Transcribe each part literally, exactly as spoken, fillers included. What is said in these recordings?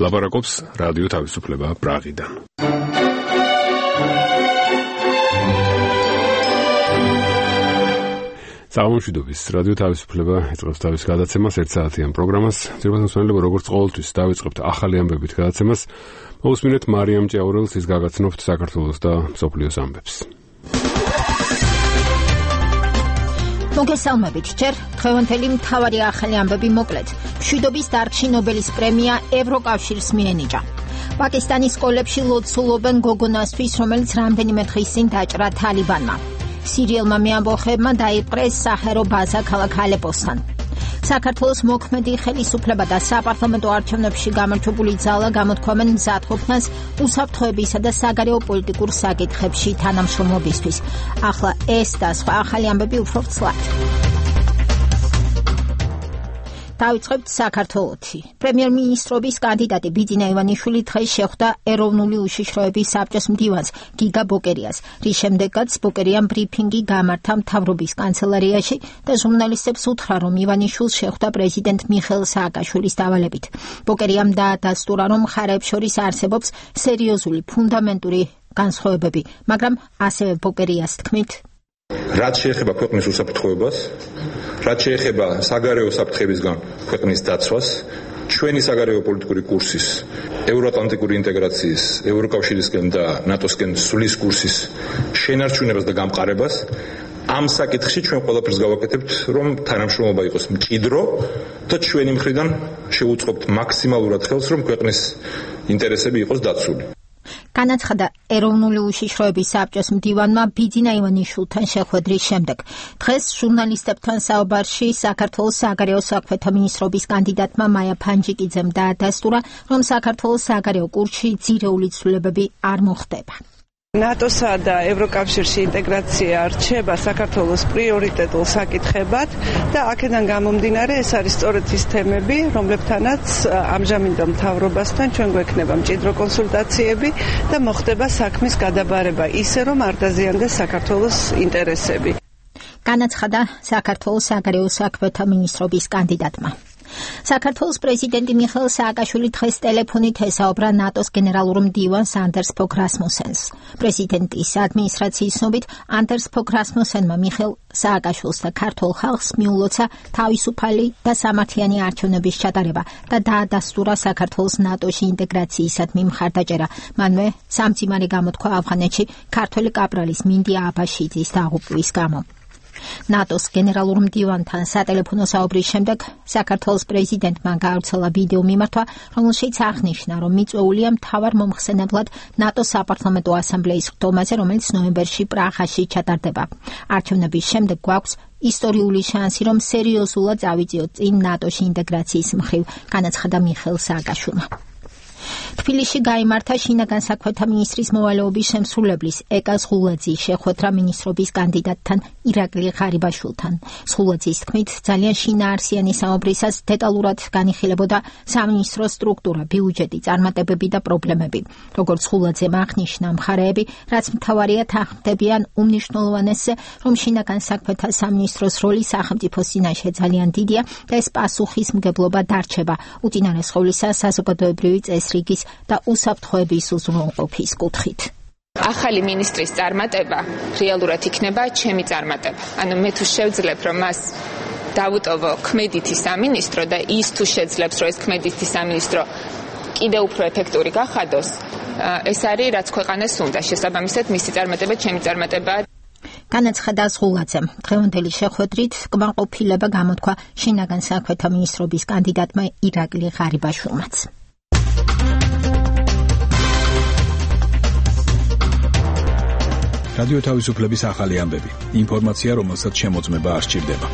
ლაპარაკობს რადიო თავისუფლება პრაღიდან. საღამომშვიდობის რადიო თავისუფლება იწყებს თავის გადაცემას ერთ საათიან პროგრამას. ძირითადად მსმენელებო, როგორც ყოველთვის დავიწყებთ ახალი ამბებით გადაცემას. მოусმინეთ მარიამ ჭიაურელს, ის გაგაცნობთ საქართველოს და მსოფლიოს ამბებს. მოგესალმებით, ჯერ დღევანდელი მთავარი ახალი ამბები მოკლედ. მშვიდობის დარგში ნობელის პრემია ევროკავშირს მიენიჭა. პაკისტანის სკოლებში ლოცულობენ გოგონასთვის, რომელიც რამდენიმე დღის წინ დაჭრა თალიბანმა. სირიელმა მეამბოხებმა დაიპყრეს საჰერო ბაზა ქალაქ ალეპოსთან. საქართველოს მოქმედი ხელისუფლება და საპარლამენტო არჩევნებში გამარჯვებული ძალა გამოთქვამენ მზადყოფნას უსაფრთხოებისა და საგარეო პოლიტიკურ საკითხებში თანამშრომლობისთვის. ახლა ეს და სხვა ახალი ამბები უფრო ცლად. დავიწყებთ საქართველოთი. პრემიერ-მინისტრობის კანდიდატი ბიძინა ივანიშვილი დღეს შეხვდა ეროვნული უშიშროების საბჭოს მდივანს გიგა ბოკერიას, რის შემდეგაც ბოკერიამ ბრიფინგი გამართა მთავრობის კანცელარიაში და ჟურნალისტებს უთხრა, რომ ივანიშვილს შეხვდა პრეზიდენტ მიხეილ სააკაშვილის დავალებით. ბოკერიამ დაადასტურა, რომ მხარეებს შორის არსებობს სერიოზული ფუნდამენტური განსხვავებები, მაგრამ ასევე ბოკერიას თქმით, რაც შეეხება ქვეყნის უსაფრთხოებას, რაც შეეხება საგარეო საფრთხებისგან ქვეყნის დაცვას, ჩვენი საგარეო პოლიტიკური კურსის, ევროატლანტიკური ინტეგრაციის, ევროკავშირისკენ და ნატოსკენ სulis კურსის შენარჩუნებას და გამყარებას, ამ საკითხში ჩვენ ყველაფერს გავაკეთებთ, რომ თანამშრომლობა იყოს მჭიდრო და ჩვენი მხრიდან შევუწყობთ მაქსიმალურად ხელს, რომ ქვეყნის ინტერესები იყოს დაცული. განაცხადა ეროვნული უშიშროების საბჭოს მდივანმა ბიძინა ივანიშვილთან შეხვედრის შემდეგ. დღეს ჟურნალისტებთან საუბარში საქართველოს საგარეო საქმეთა მინისტრობის კანდიდატმა მაია ფანჯიკიძემ დაადასტურა, რომ საქართველოს საგარეო კურსში ძირეული ცვლილებები არ მოხდება. ნატოსა და ევროკავშირში ინტეგრაცია რჩება საქართველოს პრიორიტეტულ საკითხებად და აქედან გამომდინარე ეს არის სწორედ ის თემები, რომლებთანაც ამჟამინდელ მთავრობასთან ჩვენ გვექნება მჭიდრო კონსულტაციები და მოხდება საქმის გადაბარება ისე, რომ არ დაზიანდეს საქართველოს ინტერესები. განაცხადა საქართველოს საგარეო საქმეთა მინისტრობის კანდიდატმა. საქართველოს პრეზიდენტი მიხეილ სააკაშვილი დღეს ტელეფონით ესაუბრა ნატოს გენერალურ მდივანს ანდერს ფოგ რასმუსენს. პრეზიდენტის ადმინისტრაციის ცნობით, ანდერს ფოგ რასმუსენმა მიხეილ სააკაშვილს და ქართულ ხალხს მიულოცა თავისუფალი და სამართლიანი არჩევნების ჩატარება და დაადასტურა საქართველოს ნატოში ინტეგრაციისადმი მხარდაჭერა. მანვე სამძიმარი გამოთქვა ავღანეთში ქართველი კაპრალის მინდია აბაშიძის დაღუპვის გამო. ნატოს გენერალურ მდივანთან სატელეფონო საუბრის შემდეგ საქართველოს პრეზიდენტმა გაავრცელა ვიდეო მიმართვა, რომელშიც აღნიშნა, რომ მიწვეულია მთავარ მომხსენებლად ნატოს საპარლამენტო ასამბლეის ხდომაზე, რომელიც ნოემბერში პრაღაში ჩატარდება. არჩევნების შემდეგ გვაქვს ისტორიული შანსი, რომ სერიოზულად წავიწიოთ წინ ნატოში ინტეგრაციის მხრივ, განაცხადა მიხეილ სააკაშვილმა. თბილისში გაიმართა შინაგან საქმეთა მინისტრის მოვალეობის შემსრულებლის ეკა ზღულაძის შეხვედრა მინისტრობის კანდიდატთან ირაკლი ღარიბაშვილთან. ზღულაძის თქმით, ძალიან შინაარსიანი საუბრისას დეტალურად განიხილებოდა სამინისტრო სტრუქტურა, ბიუჯეტი, წარმატებები და პრობლემები. როგორც ზღულაძემ აღნიშნა, მხარეები, რაც მთავარია თანხმდებიან უმნიშვნელოვანესზე, რომ შინაგან საქმეთა სამინისტროს როლი სახელმწიფოს წინაშე ძალიან დიდია და ეს პასუხისმგებლობა დარჩება, უწინარეს ყოვლისა საზოგადოებრივი წესრიგის და უსაფრთხოების უზრუნველყოფის კუთხით. ახალი მინისტრის წარმატება რეალურად იქნება ჩემი წარმატება. ანუ მე თუ შევძლებ, რომ მას დავუტოვო ქმედითი სამინისტრო და ის თუ შეძლებს, რომ ეს ქმედითი სამინისტრო კიდევ უფრო ეფექტური გახადოს, ეს არის რაც ქვეყანას უნდა. შესაბამისად, მისი წარმატება ჩემი წარმატებაა. განაცხადა ზღულაძემ. დღევანდელი შეხვედრით კმაყოფილება გამოთქვა შინაგან საქმეთა მინისტრობის კანდიდატმა ირაკლი ღარიბაშვილმაც. რადიო თავისუფლების ახალი ამბები. ინფორმაცია, რომელსაც შემოწმება არ სჭირდება.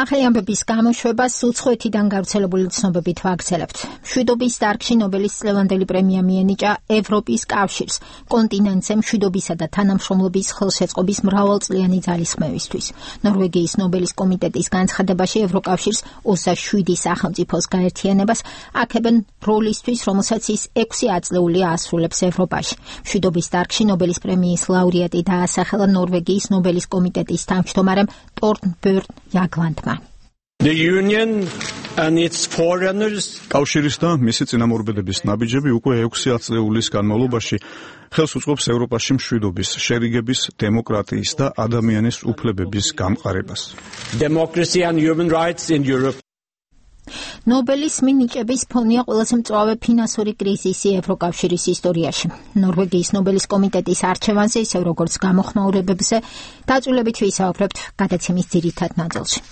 ახალი ამბების გამოშვებას უცხოეთიდან გავრცელებული ცნობებით ვაგრძელებთ. მშვიდობის დარგში ნობელის წლევანდელი პრემია მიენიჭა ევროპის კავშირს კონტინენტზე მშვიდობისა და თანამშრომლობის ხელშეწყობის მრავალწლიანი ძალისხმევისთვის. ნორვეგიის ნობელის კომიტეტის განცხადებაში ევროკავშირს ოცდაშვიდი სახელმწიფოს გაერთიანებას აქებენ როლისთვის, რომელსაც ის ექვსი ათწლეული ასრულებს ევროპაში. მშვიდობის დარგში ნობელის პრემიის ლაურეატი დაასახელა ნორვეგიის ნობელის კომიტეტის თავმჯდომარემ ტორნბერნ იაგლანდმა. The union and its foreigners კავშირის და მისი წინამორბედების ნაბიჯები უკვე ექვსი ათწლეულის განმავლობაში ხელს უწყობს ევროპაში მშვიდობის, შერიგების, დემოკრატიის და ადამიანის უფლებების გამყარებას. Democracy and human rights in Europe. ნობელის მინიჭების ფონია ყველაზე მწვავე ფინანსური კრიზისი ევროკავშირის ისტორიაში. ნორვეგიის ნობელის კომიტეტის არჩევანზე, ისევ როგორც გამოხმაურებებზე, დაწვრილებით ვისაუბრებთ გადაცემის ძირითად ნაწილში.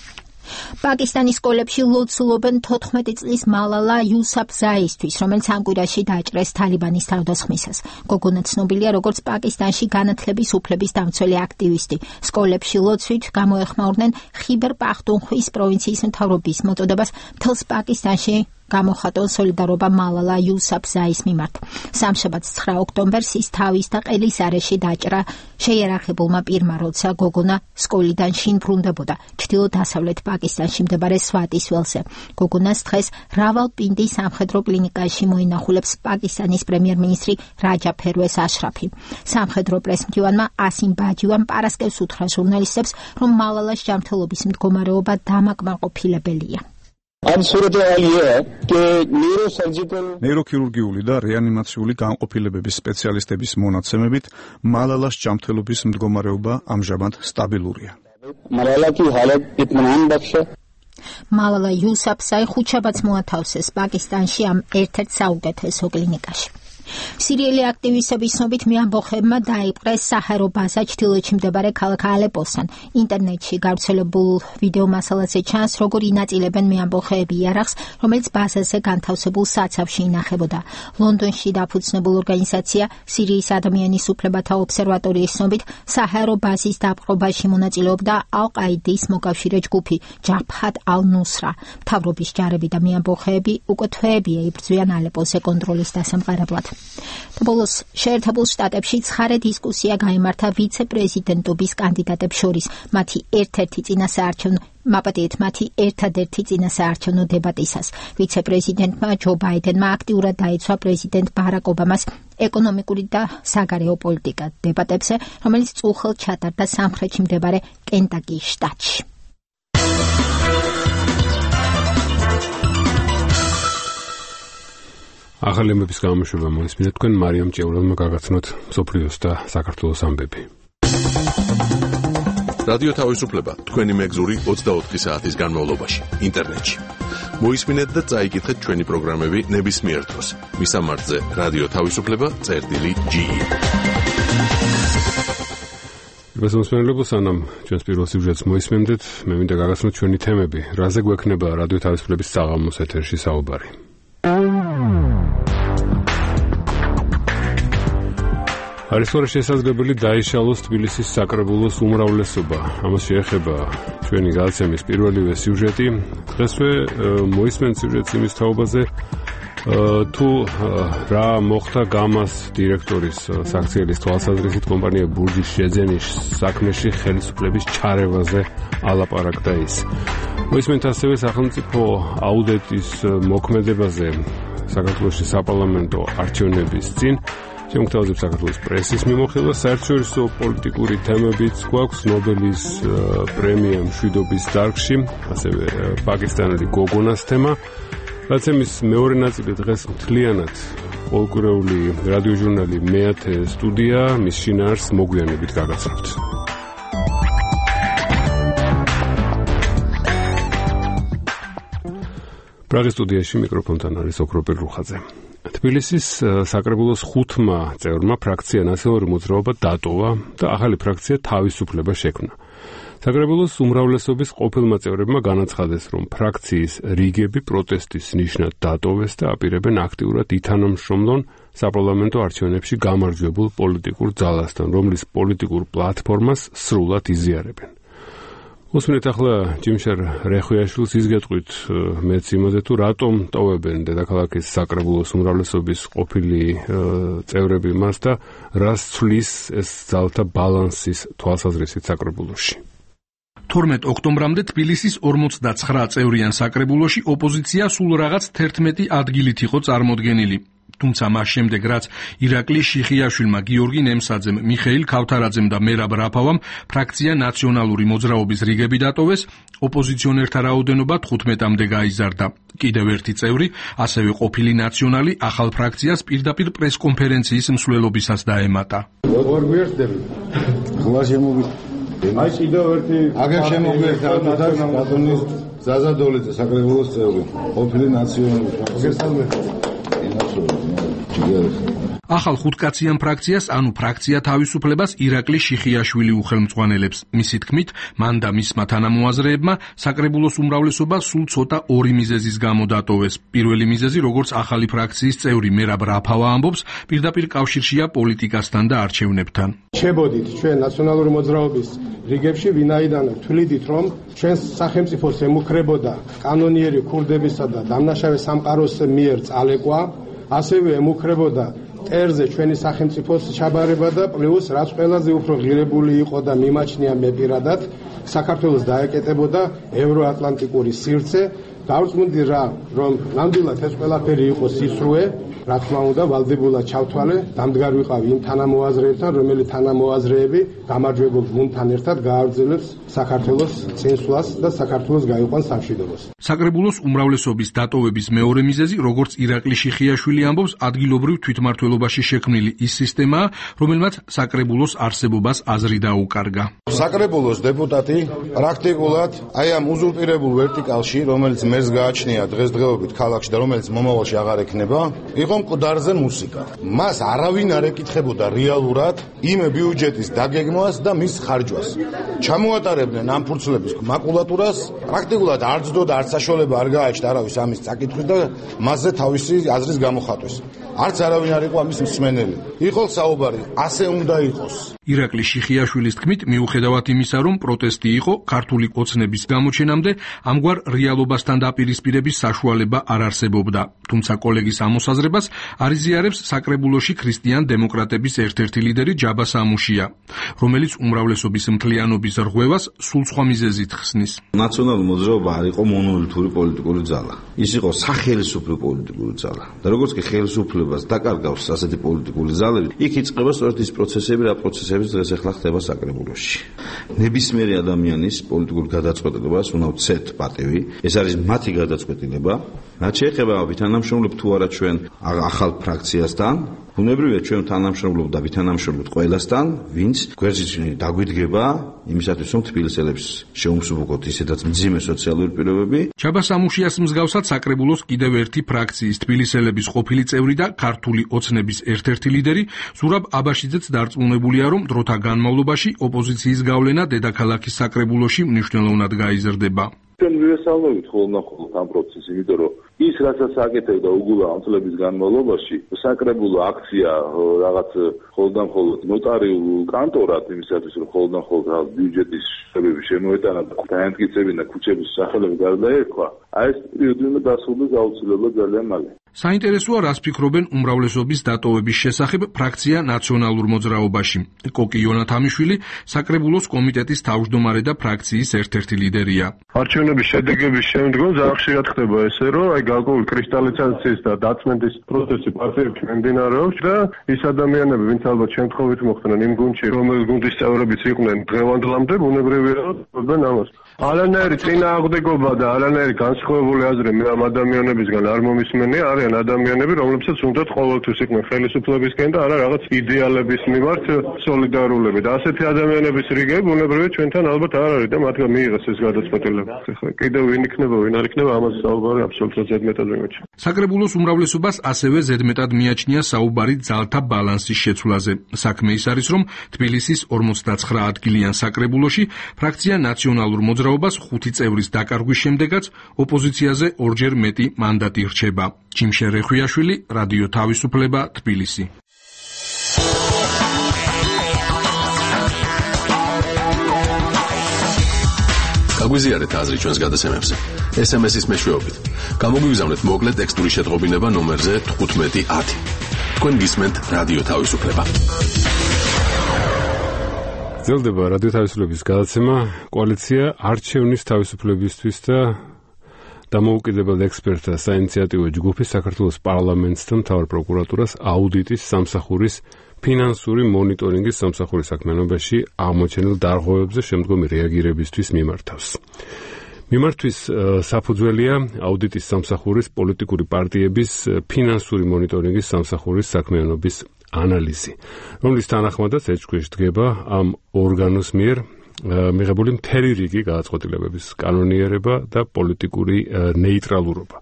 პაკისტანის სკოლებში ლოცულობენ თოთხმეტი წლის მალალა იუსაფზაისთვის, რომელიც ამ კვირაში დააჭრეს თალიბანის თავდასხმისას. გოგონა ცნობილია როგორც პაკისტანში განათლების უფლების დამცველი აქტივისტი. სკოლებში ლოცვით გამოეხმაურნენ ხიბერ პახტუნხვის პროვინციის მთავრობის მოწოდებას მთელს პაკისტანში გამოხატონ სოლიდარობა მალალა იუსაფზაის მიმართ. სამშაბათს ცხრა ოქტომბერს ის თავის და ყელის არეში დაჭრა შეიარაღებულმა პირმა, როცა გოგონა სკოლიდან შინ ბრუნდებოდა ჩრდილო-დასავლეთ პაკისტანში მდებარე სვატის ველზე. გოგონას დღეს რავალპინდი სამხედრო კლინიკაში მოინახულებს პაკისტანის პრემიერ-მინისტრი რაჯა ფერვეს აშრაფი. სამხედრო პრესმდივანმა ასიმ ბაჯივამ პარასკევს უთხრა ჟურნალისტებს, რომ მალალას ჯანმრთელობის მდგომარეობა დამაკმაყოფილებელია. ნეიროქირურგიული და რეანიმაციული განყოფილებების სპეციალისტების მონაცემებით, მალალას ჯანმრთელობის მდგომარეობა ამჟამად სტაბილურია. მალალა იუსაფზაი ხუთშაბათს მოათავსეს პაკისტანში ამ ერთ-ერთ საუკეთესო კლინიკაში. სირიელი აქტივისტების ცნობით მეამბოხებმა დაიპყრეს საჰარო ბაზა ჩრდილოეთში მდებარე ქალაქ ალეპოსთან. ინტერნეტში გავრცელებულ ვიდეო მასალაზე ჩანს, როგორ ინაწილებენ მეამბოხეები იარაღს, რომელიც ბაზაზე განთავსებულ საცავში ინახებოდა. ლონდონში დაფუძნებულ ორგანიზაცია სირიის ადამიანის უფლებათა ობსერვატორიის ცნობით, საჰარო ბაზის დაპყრობაში მონაწილეობდა ალ-ყაიდის მოკავშირე ჯგუფი ჯაბჰათ ალ-ნუსრა. მთავრობის ჯარები და მეამბოხეები უკვე თვეებია იბრძვიან ალეპოზე კონტროლის დასამყარებლად. ბოლოს შეერთებულ შტატებში ცხარე დისკუსია გაიმართა ვიცე-პრეზიდენტობის კანდიდატებს შორის. მათი ერთ-ერთი წინასაარჩევნო მაპატიეთ მათი ერთადერთი წინასაარჩევნო დებატისას. ვიცე-პრეზიდენტმა ჯო ბაიდენმა აქტიურად დაიცვა პრეზიდენტ ბარაკ ობამას ეკონომიკური და საგარეო პოლიტიკა დებატებზე, რომელიც წუხელ ჩატარდა სამხრეთში მდებარე კენტაკის შტატში. ახალი ამბების გამოშვება მოისმინეთ თქვენ მარიამ ჭეურელმა გაგაცნოთ მსოფლიოს და საქართველოს ამბები. რადიო თავისუფლება თქვენი მეგზური ოცდაოთხი საათის განმავლობაში ინტერნეტში. მოისმინეთ და წაიკითხეთ ჩვენი პროგრამები ნებისმიერ დროს. მისამართზე რადიო თავისუფლება წერტილი ჯი. მოსმენელებო, სანამ ჩვენს პირველ სიუჟეტს მოისმენდეთ, მე მინდა გაგაცნოთ ჩვენი თემები, რაზე გვექნება რადიო თავისუფლების საღამოს ეთერში საუბარი. არის სწორედ შესაძლებელი დაიშალოს თბილისის საკრებულოს უმრავლესობა. ამას შეეხება ჩვენი გადაცემის პირველივე სიუჟეტი. დღესვე მოისმენთ სიუჟეტს იმის თაობაზე, თუ რა მოხდა გამას დირექტორის საქციელის თვალსაზრისით კომპანია ბურჯის შეძენის საქმეში ხელისუფლების ჩარევაზე ალაპარაკდა ის. მოისმენთ ასევე სახელმწიფო აუდიტის მოქმედებაზე საქართველოში საპარლამენტო არჩევნების წინ. შემოგთავაზებ საქართველოს პრესის მიმოხილვა, საერთაშორისო პოლიტიკური თემებიც გვაქვს, ნობელის პრემია მშვიდობის დარგში, ასევე პაკისტანელი გოგონას თემა. გადაცემის მეორე ნაწილი დღეს მთლიანად ყოველკვირეული რადიოჟურნალი მეათე სტუდია, მის შინაარსს მოგვიანებით გაგაცნობთ. პრაღის სტუდიაში მიკროფონთან არის ოქროპირ რუხაძე. თბილისის საკრებულოს ხუთმა წევრმა ფრაქცია ნაციონალური მოძრაობა დატოვა და ახალი ფრაქცია თავისუფლება შექმნა. საკრებულოს უმრავლესობის ყოფილმა წევრებმა განაცხადეს, რომ ფრაქციის რიგები პროტესტის ნიშნად დატოვეს და აპირებენ აქტიურად ითანამშრომლონ საპარლამენტო არჩევნებში გამარჯვებულ პოლიტიკურ ძალასთან, რომლის პოლიტიკურ პლატფორმას სრულად იზიარებენ. უსმენთ ახლა ჯიმშარ რეხვიაშვილს ის გეტყვით მეც იმაზე, თუ რატომ ტოვებენ დედაქალაქის საკრებულოს უმრავლესობის ყოფილი წევრები მას და რას ცვლის ეს ძალთა ბალანსის თვალსაზრისით საკრებულოში. თორმეტ ოქტომბრამდე თბილისის ორმოცდაცხრა წევრიან საკრებულოში ოპოზიცია სულ რაღაც თერთმეტი ადგილით იყო წარმოდგენილი. თუმცა მას შემდეგ რაც ირაკლი შიხიაშვილმა, გიორგი ნემსაძემ, მიხეილ ქავთარაძემ და მერაბ რაფავამ ფრაქცია ნაციონალური მოძრაობის რიგები დატოვეს, ოპოზიციონერთა რაოდენობა თხუთმეტამდე გაიზარდა. კიდევ ერთი წევრი, ასევე ყოფილი ნაციონალი ახალ ფრაქციას პირდაპირ პრესკონფერენციის მსვლელობისას დაემატა. როგორ გვერდები? ხლა შემოგვი აი კიდევ ერთი აგერ შემოგვერდა ბატონის ზაზადოლიძე საკრებულოს წევრი, ყოფილი ნაციონალური ახალ ხუთკაციან ფრაქციას, ანუ ფრაქცია თავისუფლებას ირაკლი შიხიაშვილი უხელმძღვანელებს. მისი თქმით, მან და მისმა თანამოაზრეებმა საკრებულოს უმრავლესობა სულ ცოტა ორი მიზეზის გამო დატოვეს. პირველი მიზეზი, როგორც ახალი ფრაქციის წევრი მერაბ რაფავა ამბობს, პირდაპირ კავშირშია პოლიტიკასთან და არჩევნებთან. შევდით ჩვენ ნაციონალური მოძრაობის რიგებში, ვინაიდან თვლიდით, რომ ჩვენს სახელმწიფოს ემუქრებოდა კანონიერი ქურდებისა და დამნაშავე სამყაროს მიერ წალეკვა, ასევე ემუქრებოდა ტერზე ჩვენი სახელმწიფოს ჩაბარება და პლუს რაც ყველაზე უფრო ღირებული იყო და მიმაჩნია მე პირადად საქართველოს დაეკეტებოდა ევროატლანტიკური სივრცე. დავწმუნდი რა, რომ ნამდვილად ეს ყველაფერი იყო სისრუე, რა თქმა უნდა, ვალდებულად ჩავთვალე, დამდგარ ვიყავი იმ თანამოაზრეებთან, რომელი თანამოაზრეები გამარჯვებულ გუნდთან ერთად გააგრძელებს საქართველოს წინსვლას და საქართველოს გაიყვანს სამშვიდობოს. საკრებულოს უმრავლესობის დატოვების მეორე მიზეზი, როგორც ირაკლი შიხიაშვილი ამბობს, ადგილობრივ თვითმმართველობაში შექმნილი ის სისტემაა, რომელმაც საკრებულოს არსებობას აზრი დაუკარგა. საკრებულოს დეპუტატი პრაქტიკულად აი ამ უზურპირებულ ვერტიკალში, რომელიც მერს გააჩნია დღესდღეობით ქალაქში და რომელიც მომავალში აღარ ექნება, იყო მკვდარზე მუსიკა. მას არავინ არ ეკითხებოდა რეალურად იმ ბიუჯეტის დაგეგმვას და მის ხარჯვას. ჩამოატარებდნენ ამ ფურცლების მაკულატურას, პრაქტიკულად არ ძდოდა, არც საშუალება არ გააჩნდა არავის ამის წაკითხვის და მასზე თავისი აზრის გამოხატვის. არც არავინ არ იყო ამის მსმენელი. იყო საუბარი, ასე უნდა იყოს. ირაკლი შიხიაშვილის თქმით, მიუხედავად იმისა, რომ პროტესტი იყო, ქართული ოცნების გამოჩენამდე ამგვარ რეალობასთან დაპირისპირების საშუალება არ არსებობდა. თუმცა კოლეგის ამოსაზრებას არიზიარებს საკრებულოში ქრისტიან დემოკრატების ერთ-ერთი ლიდერი ჯაბა სამუშია, რომელიც უმრავლესობის მთლიანობის რღვევას სულ სხვა მიზეზით ხსნის. ნაციონალური მოძრაობა არ იყო მონოლითური პოლიტიკური ძალა. ის იყო სახელმწიფო პოლიტიკური ძალა. და როგორც კი ხელისუფლებას დაკარგავს ასეთი პოლიტიკური ძალები, იქ იწყება სწორედ ის პროცესები, რა პროცესები დღეს ახლა ხდება საკრებულოში. ნებისმიერი ადამიანის პოლიტიკურ გადაწყვეტილებას უნდა ვცეთ პატივი. ეს არის მათი გადაწყვეტილება. რაც შეეხება ვითანამშრომლობთ თუ არა ჩვენ ახალ ფრაქციასთან, ბუნებრივია ჩვენ თანამშრომლობ და ვითანამშრომლობთ ყველასთან, ვინც გვერდით დაგვიდგება იმისათვის, რომ თბილისელებს შეუმსუბუქოთ ისედაც მძიმე სოციალური პირობები. ჯაბა სამუშიას მსგავსად საკრებულოს კიდევ ერთი ფრაქციის თბილისელების ყოფილი წევრი და ქართული ოცნების ერთ-ერთი ლიდერი ზურაბ აბაშიძეც დარწმუნებულია, რომ დროთა განმავლობაში ოპოზიციის გავლენა დედაქალაქის საკრებულოში მნიშვნელოვნად გაიზრდება. ჩვენ ვიესალმებით ხოლმე-ხოლმე ამ პროცესს, იმიტომ რომ ის რასაც აკეთებდა უგულა ამ წლების განმავლობაში, საკრებულო აქცია რაღაც ხოლმე-ხოლმე ნოტარიულ კანტორად იმისათვის, რომ ხოლმე-ხოლმე ბიუჯეტის შეფერები შემოეტანა და დაემტკიცებინა ქუჩების სახელები გარდაერქვა, აი ეს პერიოდი უნდა დასრულდეს აუცილებლად ძალიან მალე. საინტერესოა, რას ფიქრობენ უმრავლესობის დატოვების შესახებ ფრაქცია ნაციონალურ მოძრაობაში. კოკი იონათამიშვილი საკრებულოს კომიტეტის თავმჯდომარე და ფრაქციის ერთ-ერთი ლიდერია. არჩევნების შედეგების შემდგომ ძალიან ხშირად ხდება ესე, რომ აი გარკვეული კრისტალიზაციის და დაწმენდის პროცესი პარტიებში მიმდინარეობს და ის ადამიანები, ვინც ალბათ შემთხვევით მოხდნენ იმ გუნდში, რომელი გუნდის წევრებიც იყვნენ დღევანდლამდე, ბუნებრივია რომ ამას არანაირი წინააღმდეგობა და არანაირი განსხვავებული აზრი მე ამ ადამიანებისგან არ მომისმენია. არიან ადამიანები, რომლებსაც უნდათ ყოველთვის იყვნენ ხელისუფლებისკენ და არა რაღაც იდეალების მიმართ სოლიდარულები. და ასეთი ადამიანების რიგები ბუნებრივია ჩვენთან ალბათ არ არის და მათგან მიიღეს ეს გადაწყვეტილება. კიდევ ვინ იქნება, ვინ არ იქნება, ამაზე საუბარი აბსოლუტურად ზედმეტად მიმაჩნია. საკრებულოს უმრავლესობას ასევე ზედმეტად მიაჩნია საუბარი ძალთა ბალანსის შეცვლაზე. საქმე ის არის, რომ თბილისის ორმოცდაცხრა ადგილიან საკრებულოში ფრაქცია ნაციონალურ მოძრაობას ხუთი წევრის დაკარგვის შემდეგაც ოპოზიციაზე ორჯერ მეტი მანდატი რჩება. ჯიმშე რეხვიაშვილი, რადიო თავისუფლება, თბილისი. გაგვიზიარეთ აზრი ჩვენს გადაცემებზე. ეს em es-ის მეშვეობით. გამოგვიგზავნეთ მოკლე ტექსტური შეტყობინება ნომერზე თხუთმეტი ათი. თქვენ გისმენთ რადიო თავისუფლება. გრძელდება რადიო თავისუფლების გადაცემა, კოალიცია არჩევნის თავისუფლებისთვის და დამოუკიდებელ ექსპერტთა საინიციატივო ჯგუფი საქართველოს პარლამენტს და მთავარ პროკურატურას აუდიტის სამსახურის ფინანსური მონიტორინგის სამსახურის საქმიანობაში აღმოჩენილ დარღვევებზე შემდგომი რეაგირებისთვის მიმართავს. მიმართვის საფუძველია აუდიტის სამსახურის პოლიტიკური პარტიების ფინანსური მონიტორინგის სამსახურის საქმიანობის ანალიზი, რომლის თანახმადაც ეჭქვეშ დგება ამ ორგანოს მიერ მიღებული მთელი რიგი გადაწყვეტილებების კანონიერება და პოლიტიკური ნეიტრალურობა.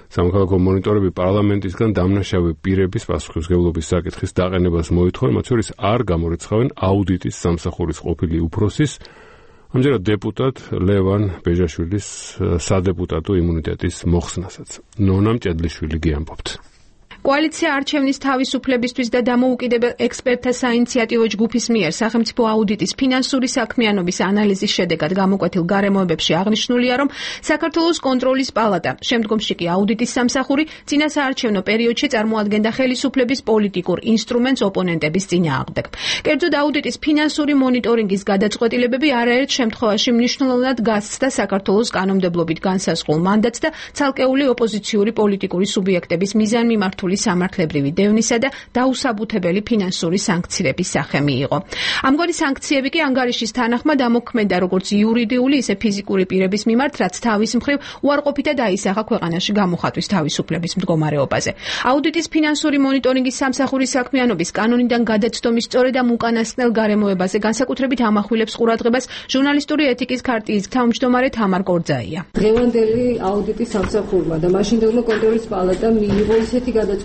სამოქალაქო მონიტორები პარლამენტისგან დამნაშავე პირების პასუხისმგებლობის საკითხის დაყენებას მოითხოვენ, მათ შორის არ გამორიცხავენ აუდიტის სამსახურის ყოფილი უფროსის, ამჯერად დეპუტატ ლევან ბეჟაშვილის სადეპუტატო იმუნიტეტის მოხსნასაც. ნონა მჭედლიშვილი გიამბობთ. კოალიცია არჩევნის თავისუფლებისთვის და დამოუკიდებელ ექსპერტთა საინიციატივო ჯგუფის მიერ სახელმწიფო აუდიტის ფინანსური საქმიანობის ანალიზის შედეგად გამოკვეთილ გარემოებებში აღნიშნულია, რომ საქართველოს კონტროლის პალატა, შემდგომში კი აუდიტის სამსახური, წინასაარჩევნო პერიოდში წარმოადგენდა ხელისუფლების პოლიტიკურ ინსტრუმენტს ოპონენტების წინააღმდეგ. კერძოდ, აუდიტის ფინანსური მონიტორინგის გადაწყვეტილებები არაერთ შემთხვევაში მნიშვნელოვნად გასცდა საქართველოს კანონმდებლობით განსაზღვრულ მანდატს და ცალკეული ოპოზიციური პოლიტიკური სუბიექტების მიზანმიმართული სამართლებრივი დევნისა და დაუსაბუთებელი ფინანსური სანქციების სახე მიიღო. ამგვარი სანქციები კი ანგარიშის თანახმად ამოქმედა როგორც იურიდიული, ისე ფიზიკური პირების მიმართ, რაც თავის მხრივ უარყოფითად აისახა ქვეყანაში გამოხატვის თავისუფლების მდგომარეობაზე. აუდიტის ფინანსური მონიტორინგის სამსახურის საქმიანობის კანონიდან გადაცდომის სწორედ ამ უკანასკნელ გარემოებაზე განსაკუთრებით ამახვილებს ყურადღებას ჟურნალისტური ეთიკის ქარტიის თავმჯდომარე თამარ კორძაია. დღევანდელი აუდიტის სამსახურმა და მაშინდელმა კონტროლის პალატამ მიიღო ისეთი გადაწყვეტილებები,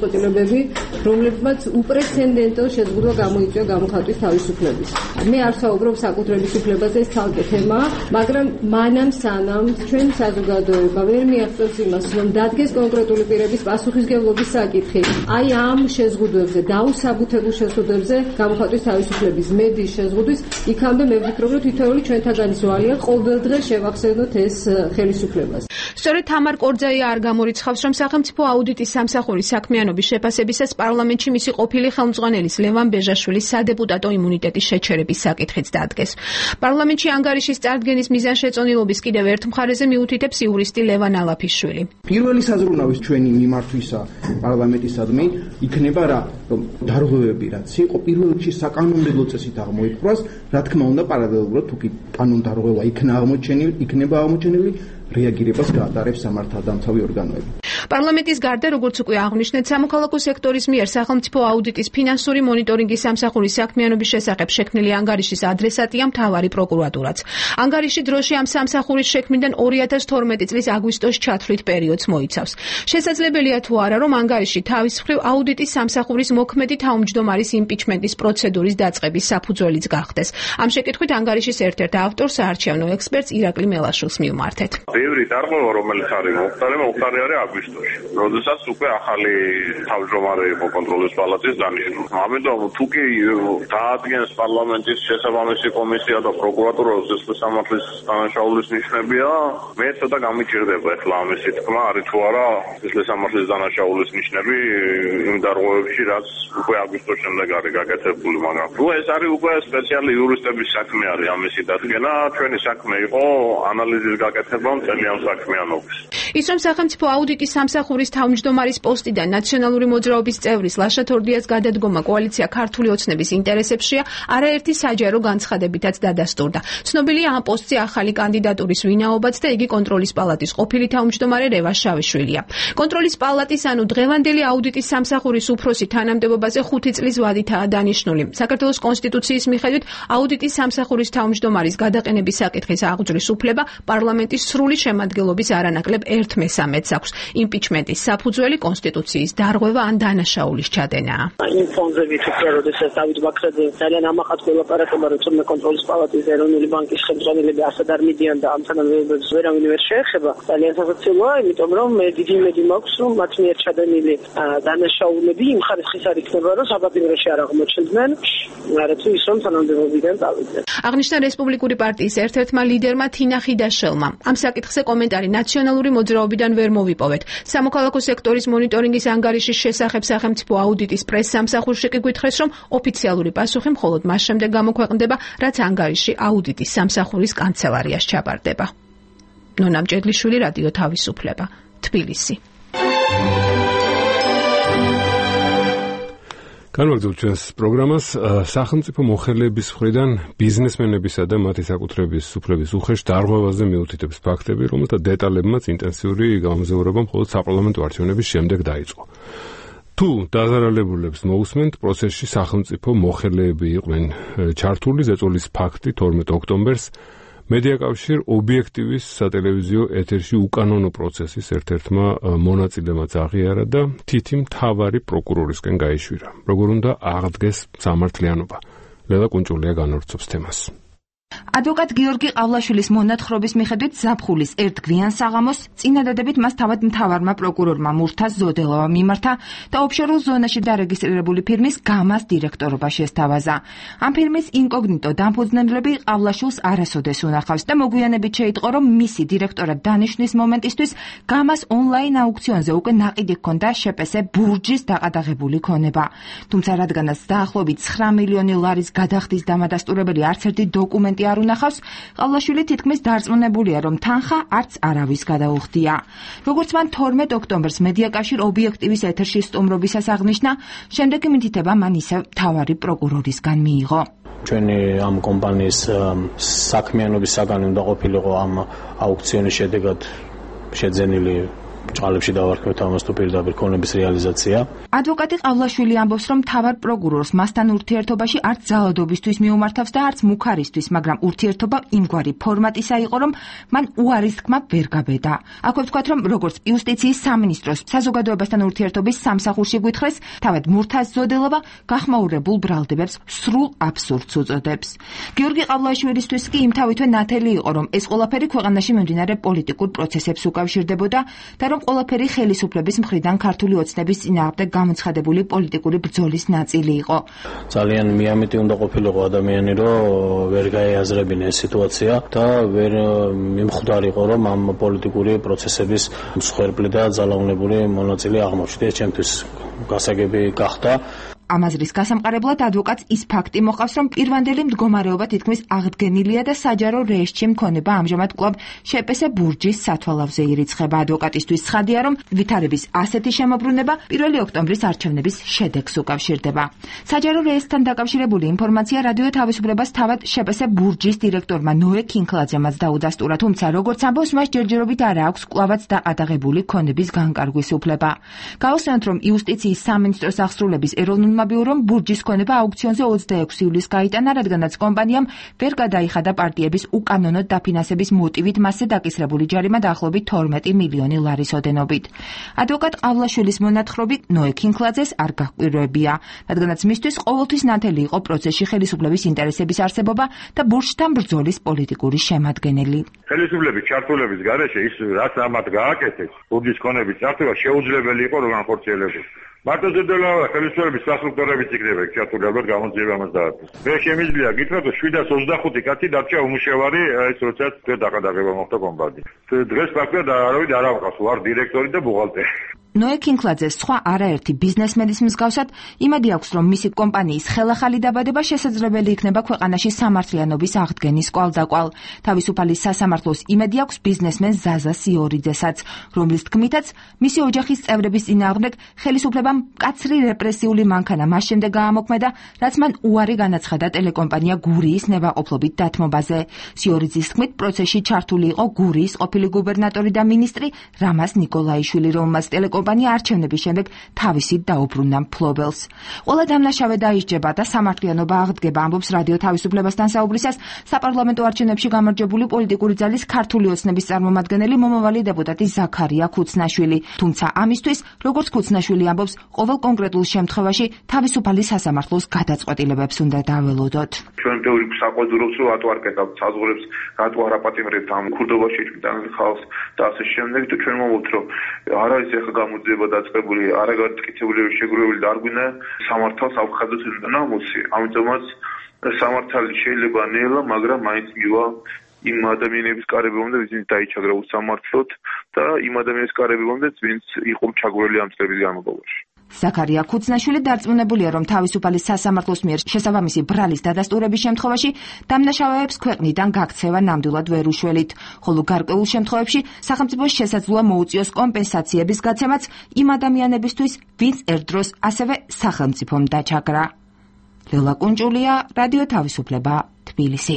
რომლებმაც უპრეცედენტო შეზღუდვა გამოიწვია გამოხატვის თავისუფლების. მე არ საუბრობ საკუთრების უფლებაზე, ეს ცალკე თემაა, მაგრამ მანამ სანამ ჩვენ საზოგადოება ვერ მიაღწევს იმას, რომ დადგეს კონკრეტული პირების პასუხისმგებლობის საკითხი, აი ამ შეზღუდვებზე, დაუსაბუთებულ შეზღუდვებზე გამოხატვის თავისუფლების მედიის შეზღუდვის, იქამდე მე ვფიქრობ, რომ თითოეული ჩვენთაგანის ვალია ყოველდღე შევახსენოთ ეს ხელისუფლებას. სწორედ თამარ კორძაია არ გამორიცხავს, რომ სახელმწიფო აუდიტის სამსახურის საქმიანობის შეფასებისას პარლამენტში მისი ყოფილი ხელმძღვანელის ლევან ბეჟაშვილის სადეპუტატო იმუნიტეტის შეჩერების საკითხიც დადგეს. პარლამენტში ანგარიშის წარდგენის მიზანშეწონილობის კიდევ ერთ მხარეზე მიუთითებს იურისტი ლევან ალაფიშვილი. პირველი საზრუნავის ჩვენი მიმართვისა პარლამენტისადმი იქნება რა, რომ დარღვევები რაც იყო პირველ რიგში საკანონმდებლო წესით აღმოიფხვრას, რა თქმა უნდა პარალელურად თუ კი კანონდარღვევა იქნა აღმოჩენილი, იქნება აღმოჩენილი რეაგირებას გაატარებს სამართალდამცავი ორგანოები. პარლამენტის გარდა, როგორც უკვე აღნიშნეთ, სამოქალაქო სექტორის მიერ სახელმწიფო აუდიტის ფინანსური მონიტორინგის სამსახურის საქმიანობის შესახებ შექმნილი ანგარიშის ადრესატია მთავარი პროკურატურაც. ანგარიში დროში ამ სამსახურის შექმნიდან ორი ათას თორმეტი წლის აგვისტოს ჩათვლით პერიოდს მოიცავს. შესაძლებელია თუ არა, რომ ანგარიში თავის მხრივ აუდიტის სამსახურის მოქმედი თავმჯდომარის იმპიჩმენტის პროცედურის დაწყების საფუძველიც გახდეს. ამ შეკითხვით ანგარიშის ერთ-ერთ ავტორს, საარჩევნო ექსპერტს ირაკლი მელაშვილს მივმართეთ. ბევრი დარღვევა, რომელიც არის მოხდარი, მოხდარი არის აგვისტოში, როდესაც უკვე ახალი თავმჯდომარე იყო კონტროლის პალატის დანიშნული. ამიტომ თუ კი დაადგენს პარლამენტის შესაბამისი კომისია და პროკურატურა ზესხვის სამართლის დანაშაულის ნიშნებია, მე ცოტა გამიჭირდება ახლა ამისი თქმა არის თუ არა ზესხვის სამართლის დანაშაულის ნიშნები იმ დარღვევებში, რაც უკვე აგვისტოს შემდეგ არის გაკეთებული, მაგრამ თუ ეს არის უკვე სპეციალური იურისტების საქმე არის ამისი დადგენა, ჩვენი საქმე იყო ანალიზის გაკეთება მთელი ამ საქმიანობის. ის რომ სახელმწიფო აუდიტის სამსახურის თავმჯდომარის პოსტიდან ნაციონალური მოძრაობის წევრის ლაშა თორდიას გადადგომა კოალიცია ქართული ოცნების ინტერესებშია, არაერთი საჯარო განცხადებითაც დადასტურდა. ცნობილია ამ პოსტზე ახალი კანდიდატურის ვინაობაც და იგი კონტროლის პალატის ყოფილი თავმჯდომარე რევა შავიშვილია. კონტროლის პალატის ანუ დღევანდელი აუდიტის სამსახურის უფროსი თანამდებობაზე ხუთი წლის ვადითაა დანიშნული. საქართველოს კონსტიტუციის მიხედვით აუდიტის სამსახურის თავმჯდომარის გადაყენების საკითხის აღძვრის უფლება პარლამენტის სრული შემადგენლობის არანაკლებ ერთ მესამედს აქვს. იმპიჩმენტის საფუძველი კონსტიტუციის დარღვევა ან დანაშაულის ჩადენაა. იმ ფონზე ვიფიქრე, როდესაც დავით ბაქრაძე ძალიან ამაყად ველაპარაკება, რომ თუმცა კონტროლის პალატის ეროვნული ბანკის ხელმძღვანელები ასად არ მიდიან და ამ თანამდებობებს ვერავინ ვერ შეეხება. ძალიან სასაცილოა, იმიტომ რომ მე დიდი იმედი მაქვს, რომ მათ მიერ ჩადენილი დანაშაულები იმ ხარისხის არ იქნება, რომ საბაგიროში არ აღმოჩნდნენ, არა თუ ის რომ თანამდებობიდან წავიდნენ. აღნიშნა რესპუბლიკური პარტიის ერთ-ერთმა ლიდერმა თინა ხიდაშელმა. ამ საკითხზე კომენტარი ნაციონალური მოძრაობიდან ვერ მოვიპოვეთ. სამოქალაქო სექტორის მონიტორინგის ანგარიშის შესახებ სახელმწიფო აუდიტის პრეს-სამსახურში კი გითხრეს, რომ ოფიციალური პასუხი მხოლოდ მას შემდეგ გამოქვეყნდება, რაც ანგარიში აუდიტის სამსახურის კანცელარიას ჩაბარდება. ნონა მჭედლიშვილი, რადიო თავისუფლება, თბილისი. განვაგრძობთ ჩვენს პროგრამას. სახელმწიფო მოხელეების მხრიდან ბიზნესმენებისა და მათი საკუთრების უფლების უხეშ დარღვევაზე მიუთითებს ფაქტები, რომელთა დეტალებმაც ინტენსიური გამოზიარება მხოლოდ საპარლამენტო არჩევნების შემდეგ დაიწყო. თუ დაზარალებულებს მოусმენთ, პროცესში სახელმწიფო მოხელეები იყვნენ ჩართული, ზეწოლის ფაქტი თორმეტ ოქტომბერს მედიაკავშირ ობიექტივის სატელევიზიო ეთერში უკანონო პროცესის ერთ-ერთმა მონაწილემაც აღიარა და თითი მთავარი პროკურორისკენ გაეშვირა. როგორ უნდა აღდგეს სამართლიანობა? ლელა კუნჭულია განვრცობს თემას. ადვოკატ გიორგი ყავლაშვილის მონათხრობის მიხედვით ზაფხულის ერთ გვიან საღამოს წინადადებით მას თავად მთავარმა პროკურორმა მურთაზ ზოდელოვამ მიმართა და ოფშორულ ზონაში დარეგისტრირებული ფირმის გამას დირექტორობა შესთავაზა. ამ ფირმის ინკოგნიტო დამფუძნებლები ყავლაშვილს არასოდეს უნახავს და მოგვიანებით შეიტყო, რომ მისი დირექტორად დანიშვნის მომენტისთვის გამას ონლაინ აუქციონზე უკვე ნაყიდი ჰქონდა შეპესე ბურჯის დაყადაღებული ქონება. თუმცა რადგანაც დაახლოებით ცხრა მილიონი ლარის გადახდის დამადასტურებელი არც ერთი დოკუმენტი არ უნახავს, ყავლაშვილი თითქმის დარწმუნებულია, რომ თანხა არც არავის გადაუხდია. როგორც მან თორმეტ ოქტომბერს მედიაკავშირ ობიექტივის ეთერში სტუმრობისას აღნიშნა, შემდეგი მითითება მან ისევ მთავარი პროკურორისგან მიიღო. ჩვენი ამ კომპანიის საქმიანობის საგანი უნდა ყოფილიყო ამ აუქციონის შედეგად შეძენილი ჭალებში დავარქვეთ ამას თუ პირდაპირ ქონების რეალიზაცია. ადვოკატი ყავლაშვილი ამბობს, რომ მთავარ პროკურორს მასთან ურთიერთობაში არც ძალადობისთვის მიუმართავს და არც მუქარისთვის, მაგრამ ურთიერთობა იმგვარი ფორმატისა იყო, რომ მან უარის თქმა ვერ გაბედა. აქვე ვთქვათ, რომ როგორც იუსტიციის სამინისტროს საზოგადოებასთან ურთიერთობის სამსახურში გვითხრეს, თავად მურთაზ ზოდელოვა გახმაურებულ ბრალდებებს სრულ აბსურდს უწოდებს. გიორგი ყავლაშვილისთვის კი იმთავითვე ნათელი იყო, რომ ეს ყველაფერი ქვეყანაში მიმდინარე პოლიტიკურ პროცესებს უკავშირდებოდა და რომ ყველაფერი ხელისუფლების მხრიდან ქართული ოცნების წინააღმდეგ გამოცხადებული პოლიტიკური ბრძოლის ნაწილი იყო. ძალიან მიამიტი უნდა ყოფილიყო ადამიანი, რომ ვერ გაეაზრებინა ეს სიტუაცია და ვერ მიმხვდარიყო, რომ ამ პოლიტიკური პროცესების მსხვერპლი და ძალაუნებული მონაწილე აღმოჩნდა. ეს ჩემთვის გასაგები გახდა. ამაზრის გასამყარებლად ადვოკატს ის ფაქტი მოყავს, რომ პირვანდელი მდგომარეობა თითქმის აღდგენილია და საჯარო რეესტში მქონება ამჟამად კვლავ შეპესე ბურჯის სათვალავზე ირიცხება. ადვოკატისთვის ცხადია, რომ ვითარების ასეთი შემოbrunება პირველი ოქტომბრის არჩევნების შედეგს უკავშირდება. საჯარო რეესტთან დაკავშირებული ინფორმაცია რადიო თავისუფლებას თავად შეპესე ბურჯის დირექტორმა ნოე კინკლაძემაც დაუდასტურა, თუმცა როგორც ამბობს, მას ჯერჯერობით არ აქვს კვლავაც დაყადაღებული ქონების განკარგვის უფლება. გავხსენოთ, რომ იუსტიციის სამინისტროს აღსრულების ეროვნულ ბიურომ ბურჯის ქონება აუქციონზე ოცდაექვსი ივლისს გაიტანა, რადგანაც კომპანიამ ვერ გადაიხადა პარტიების უკანონოდ დაფინანსების მოტივით მასზე დაკისრებული ჯარიმა დაახლოებით თორმეტი მილიონი ლარის ოდენობით. ადვოკატ ყავლაშვილის მონათხრობი ნოე კინკლაძეს არ გაჰკვირვებია, რადგანაც მისთვის ყოველთვის ნათელი იყო პროცესში ხელისუფლების ინტერესების არსებობა და ბურჯთან ბრძოლის პოლიტიკური შემადგენელი. ხელისუფლების ჩართულების გარეშე ის რაც ამათ გააკეთეს, ბურჯის ქონების წარსულობა შეუძლებელი იყო რომ განხორციელებდეს. მარტო ზედელავა ხელისუფლების სასტრუქტურებით იქნება ჩართული, ალბათ გამოძიება ამას დაარქვეს. მე შემიძლია გითხრათ, რომ შვიდას ოცდახუთი კაცი დარჩა უმუშევარი, ეს როდესაც დაყადაღება მოხდა კომპანიით. დღეს ფაქტია არავინ არ ამყავს, ვარ დირექტორი და ბუღალტერი. ნოე კინკლაძეს სხვა არაერთი ბიზნესმენის მსგავსად იმედი აქვს, რომ მისი კომპანიის ხელახალი დაბადება შესაძლებელი იქნება ქვეყანაში სამართლიანობის აღდგენის კვალდაკვალ. თავისუფალი სასამართლოს იმედი აქვს ბიზნესმენ ზაზა სიორიძესაც, რომლის თქმითაც მისი ოჯახის წევრების წინააღმდეგ ხელისუფლებამ მკაცრი რეპრესიული მანქანა მას შემდეგ გაამოქმედა, რაც მან უარი განაცხადა ტელეკომპანია გურიის ნებაყოფლობით დათმობაზე. სიორიძის თქმით, პროცესში ჩართული იყო გურიის ყოფილი გუბერნატორი და მინისტრი რამაზ ნიკოლაიშვილი, რომელმაც ტელეკომპანია არჩევნების შემდეგ თავისით დაუბრუნდა მფლობელს. ყველა დამნაშავე დაისჯება და სამართლიანობა აღდგება, ამბობს რადიო თავისუფლებასთან საუბრისას საპარლამენტო არჩევნებში გამარჯვებული პოლიტიკური ძალის ქართული ოცნების წარმომადგენელი მომავალი დეპუტატი ზაქარია ქუცნაშვილი. თუმცა ამისთვის, როგორც ქუცნაშვილი ამბობს, ყოველ კონკრეტულ შემთხვევაში თავისუფალი სასამართლოს გადაწყვეტილებებს უნდა დაველოდოთ. ჩვენ ბევრი საყვედურობს, რომ რატო არ კეთავთ საზღვრებს, რატო არ აპატიმრებთ ამ ქურდობაში ჭიდანილ ხალხს და ასე შემდეგ და ჩვენ მომოვთ, რომ არ არის ახლა გამოძიება დაწყებული, არ არის გაკეთებული შეგროვებული და არ გვინდა სამართალს ავხადოთ ნამოსი. ამიტომაც სამართალი შეიძლება ნელა, მაგრამ მაინც მივა იმ ადამიანების კარებებამდე, ვინც დაიჩაგრა უსამართლოდ და იმ ადამიანების კარებებამდე, ვინც იყო ჩაგვრელი ამ წლების განმავლობაში. ზაქარია ქუცნაშვილი დარწმუნებულია, რომ თავისუფალი სასამართლოს მიერ შესაბამისი ბრალის დადასტურების შემთხვევაში დამნაშავეებს ქვეყნიდან გაქცევა ნამდვილად ვერ უშველით, ხოლო გარკვეულ შემთხვევებში სახელმწიფოს შესაძლოა მოუწიოს კომპენსაციების გაცემაც იმ ადამიანებისთვის, ვინც ერთდროს ასევე სახელმწიფომ დაჩაგრა. ლელა კუნჭულია, რადიო თავისუფლება, თბილისი.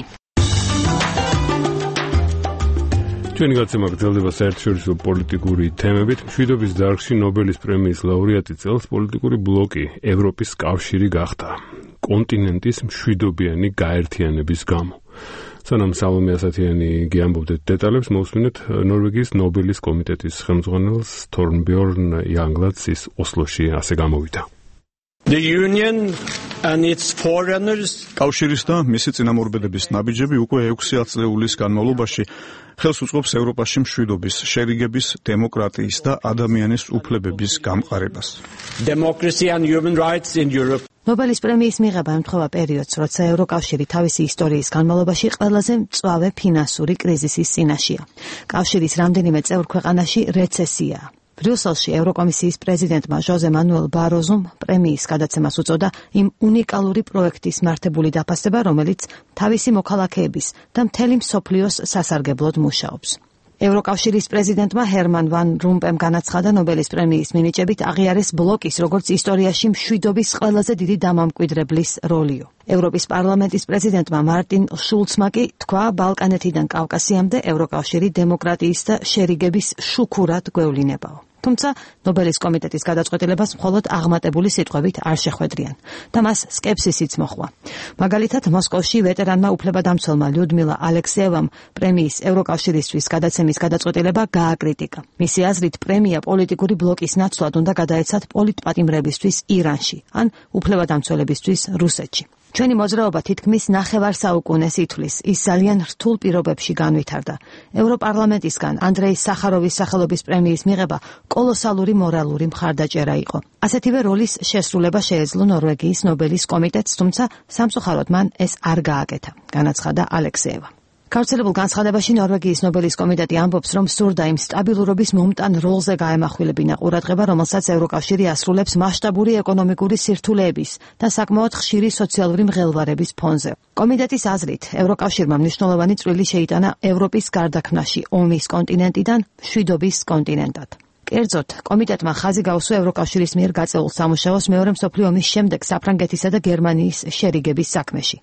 ჩვენი გაცემა გრძელდება საერთაშორისო პოლიტიკური თემებით. მშვიდობის დარგში ნობელის პრემიის ლაურეატი წელს პოლიტიკური ბლოკი ევროპის კავშირი გახდა კონტინენტის მშვიდობიანი გაერთიანების გამო. სანამ სალომე ასათიანი გიამბობდეთ დეტალებს, მოусმინეთ ნორვეგიის ნობელის კომიტეტის ხელმძღვანელს თორნბjörn Jaglands ის ოსლოში ასე გამოვიდა. The union and its foreigners კავშირის და მისი წინამორბედების ნაბიჯები უკვე ექვსი ათწლეულის განმავლობაში ხელს უწყობს ევროპაში მშვიდობის, შერიგების, დემოკრატიის და ადამიანის უფლებების გამყარებას. Democracy and human rights in Europe. ნობელის პრემიის მიღება ემთხვევა პერიოდს, როცა ევროკავშირი თავისი ისტორიის განმავლობაში ყველაზე მწვავე ფინანსური კრიზისის წინაშეა. კავშირის რამდენიმე წევრ ქვეყანაში რეცესიაა. ბრიუსელში ევროკომისიის პრეზიდენტმა ჟოზე მანუელ ბაროზუმ პრემიის გადაცემას უწოდა იმ უნიკალური პროექტის მართებული დაფასება, რომელიც თავისი მოქალაქეების და მთელი მსოფლიოს სასარგებლოდ მუშაობს. ევროკავშირის პრეზიდენტმა ჰერმან ვან რომპემ განაცხადა ნობელის პრემიის მინიჭებით აღიარეს ბლოკის როგორც ისტორიაში მშვიდობის ყველაზე დიდი დამამკვიდრებლის როლიო. ევროპის პარლამენტის პრეზიდენტმა მარტინ შულცმა კი თქვა, ბალკანეთიდან კავკასიამდე ევროკავშირი დემოკრატიის და შერიგების შუქურად გვევლინებაო. თუმცა ნობელის კომიტეტის გადაწყვეტილებას მხოლოდ აღმატებული სიტყვებით არ შეხვედრიან და მას სკეპსისიც მოჰყვა. მაგალითად, მოსკოვში ვეტერანმა უფლებადამცველმა ლიუდმილა ალექსიევამ პრემიის ევროკავშირისთვის გადაცემის გადაწყვეტილება გააკრიტიკა. მისი აზრით, პრემია პოლიტიკური ბლოკის ნაცვლად უნდა გადაეცათ პოლიტპატიმრებისთვის ირანში ან უფლებადამცველებისთვის რუსეთში. ჩვენი მოძრაობა თითქმის ნახევარ საუკუნეს ითვლის, ის ძალიან რთულ პირობებში განვითარდა. ევროპარლამენტისგან ანდრეი სახაროვის სახელობის პრემიის მიღება კოლოსალური მორალური მხარდაჭერა იყო. ასეთივე როლის შესრულება შეეძლო ნორვეგიის ნობელის კომიტეტს, თუმცა სამწუხაროდ მან ეს არ გააკეთა, განაცხადა ალექსიევა. გავრცელებულ განცხადებაში ნორვეგიის ნობელის კომიტეტი ამბობს, რომ სურდა იმ სტაბილურობის მომტან როლზე გაემახვილებინა ყურადღება, რომელსაც ევროკავშირი ასრულებს მასშტაბური ეკონომიკური სირთულეების და საკმაოდ ხშირი სოციალური მღელვარების ფონზე. კომიტეტის აზრით, ევროკავშირმა მნიშვნელოვანი წვლილი შეიტანა ევროპის გარდაქმნაში ომის კონტინენტიდან მშვიდობის კონტინენტად. კერძოდ, კომიტეტმა ხაზი გაუსვა ევროკავშირის მიერ გაწეულ სამუშაოს მეორე მსოფლიო ომის შემდეგ საფრანგეთისა და გერმანიის შერიგების საქმეში.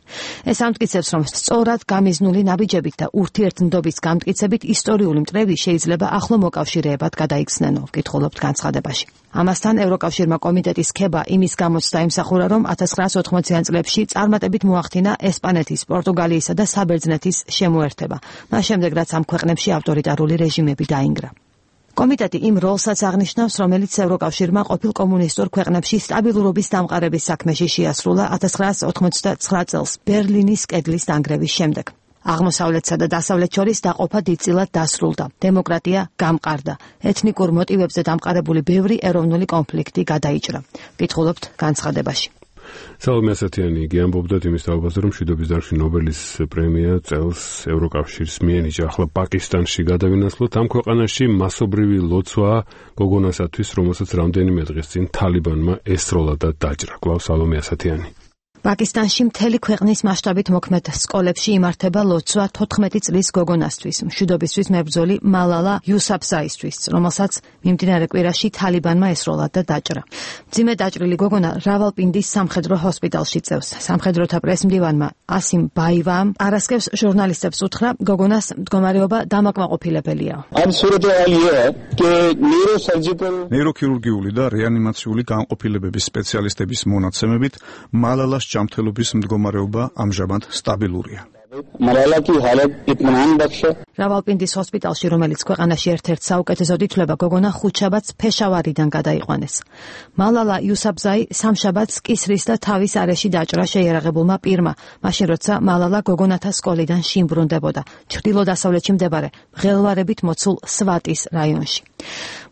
ეს ამტკიცებს, რომ სწორად გამიზნული ნაბიჯებით და ურთიერთნდობის გამტკიცებით ისტორიული მტრები შეიძლება ახლო მოკავშირეებად გადაიქცნენო, ვკითხულობთ განცხადებაში. ამასთან ევროკავშირმა კომიტეტის ქება იმის გამოც დაიმსახურა, რომ ათას ცხრაასი ოთხმოციან წლებში წარმატებით მოახდინა ესპანეთის, პორტუგალიისა და საბერძნეთის შემოერთება, მას შემდეგ რაც ამ ქვეყნებში ავტორიტარული რეჟიმები დაინგრა. კომიტეტი იმ როლსაც აღნიშნავს, რომელიც ევროკავშირმა ყოფილ კომუნისტურ ქვეყნებში სტაბილურობის დამყარების საქმეში შეასრულა ათას ცხრაასი ოთხმოცდაცხრა წელს ბერლინის კედლის დანგრევის შემდეგ. აღმოსავლეთსა და დასავლეთ შორის დაყოფა დიდწილად დასრულდა. დემოკრატია გამყარდა. ეთნიკურ მოტივებზე დამყარებული ბევრი ეროვნული კონფლიქტი გადაიჭრა. ვკითხულობთ განცხადებაში. სალომე ასათიანი გიამბობდა იმის თაობაზე, რომ მშვიდობის დარგში ნობელის პრემია წელს ევროკავშირს მიენიჭა. ახლა პაკისტანში გადავინაცვლოთ. ამ ქვეყანაში მასობრივი ლოცვა გოგონასათვის, რომელსაც რამდენიმე დღის წინ თალიბანმა ესროლა და დაჭრა. კვლავ სალომე ასათიანი. პაკისტანში მთელი ქვეყნის მასშტაბით მოქმედ სკოლებში იმართება ლოცვა თოთხმეტი წლის გოგონასთვის, მშვიდობისთვის მებრძოლი მალალა იუსაფზაისთვის, რომელსაც მიმდინარე კვირაში თალიბანმა ესროლა და დაჭრა. მძიმე დაჭრილი გოგონა რავალპინდის სამხედრო ჰოსპიტალში წევს. სამხედროთა პრესმდივანმა ასიმ ბაივამ არასკევს ჟურნალისტებს უთხრა, გოგონას მდგომარეობა დამაკმაყოფილებელია. ნეიროქირურგიული და რეანიმაციული განყოფილებების სპეციალისტების მონაცემებით მალალას ჯანმრთელობის მდგომარეობა ამჟამად სტაბილურია. რავალპინდის ჰოსპიტალში, რომელიც ქვეყანაში ერთ-ერთ საუკეთესოდ ითვლება, გოგონა ხუთშაბათს ფეშავარიდან გადაიყვანეს. მალალა იუსაფზაი სამშაბათს კისრის და თავის არეში დაჭრა შეიარაღებულმა პირმა, მაშინ როცა მალალა გოგონათა სკოლიდან შიმბრუნდებოდა, ჩრდილო-დასავლეთში მდებარე მღელვარებით მოცულ სვატის რაიონში.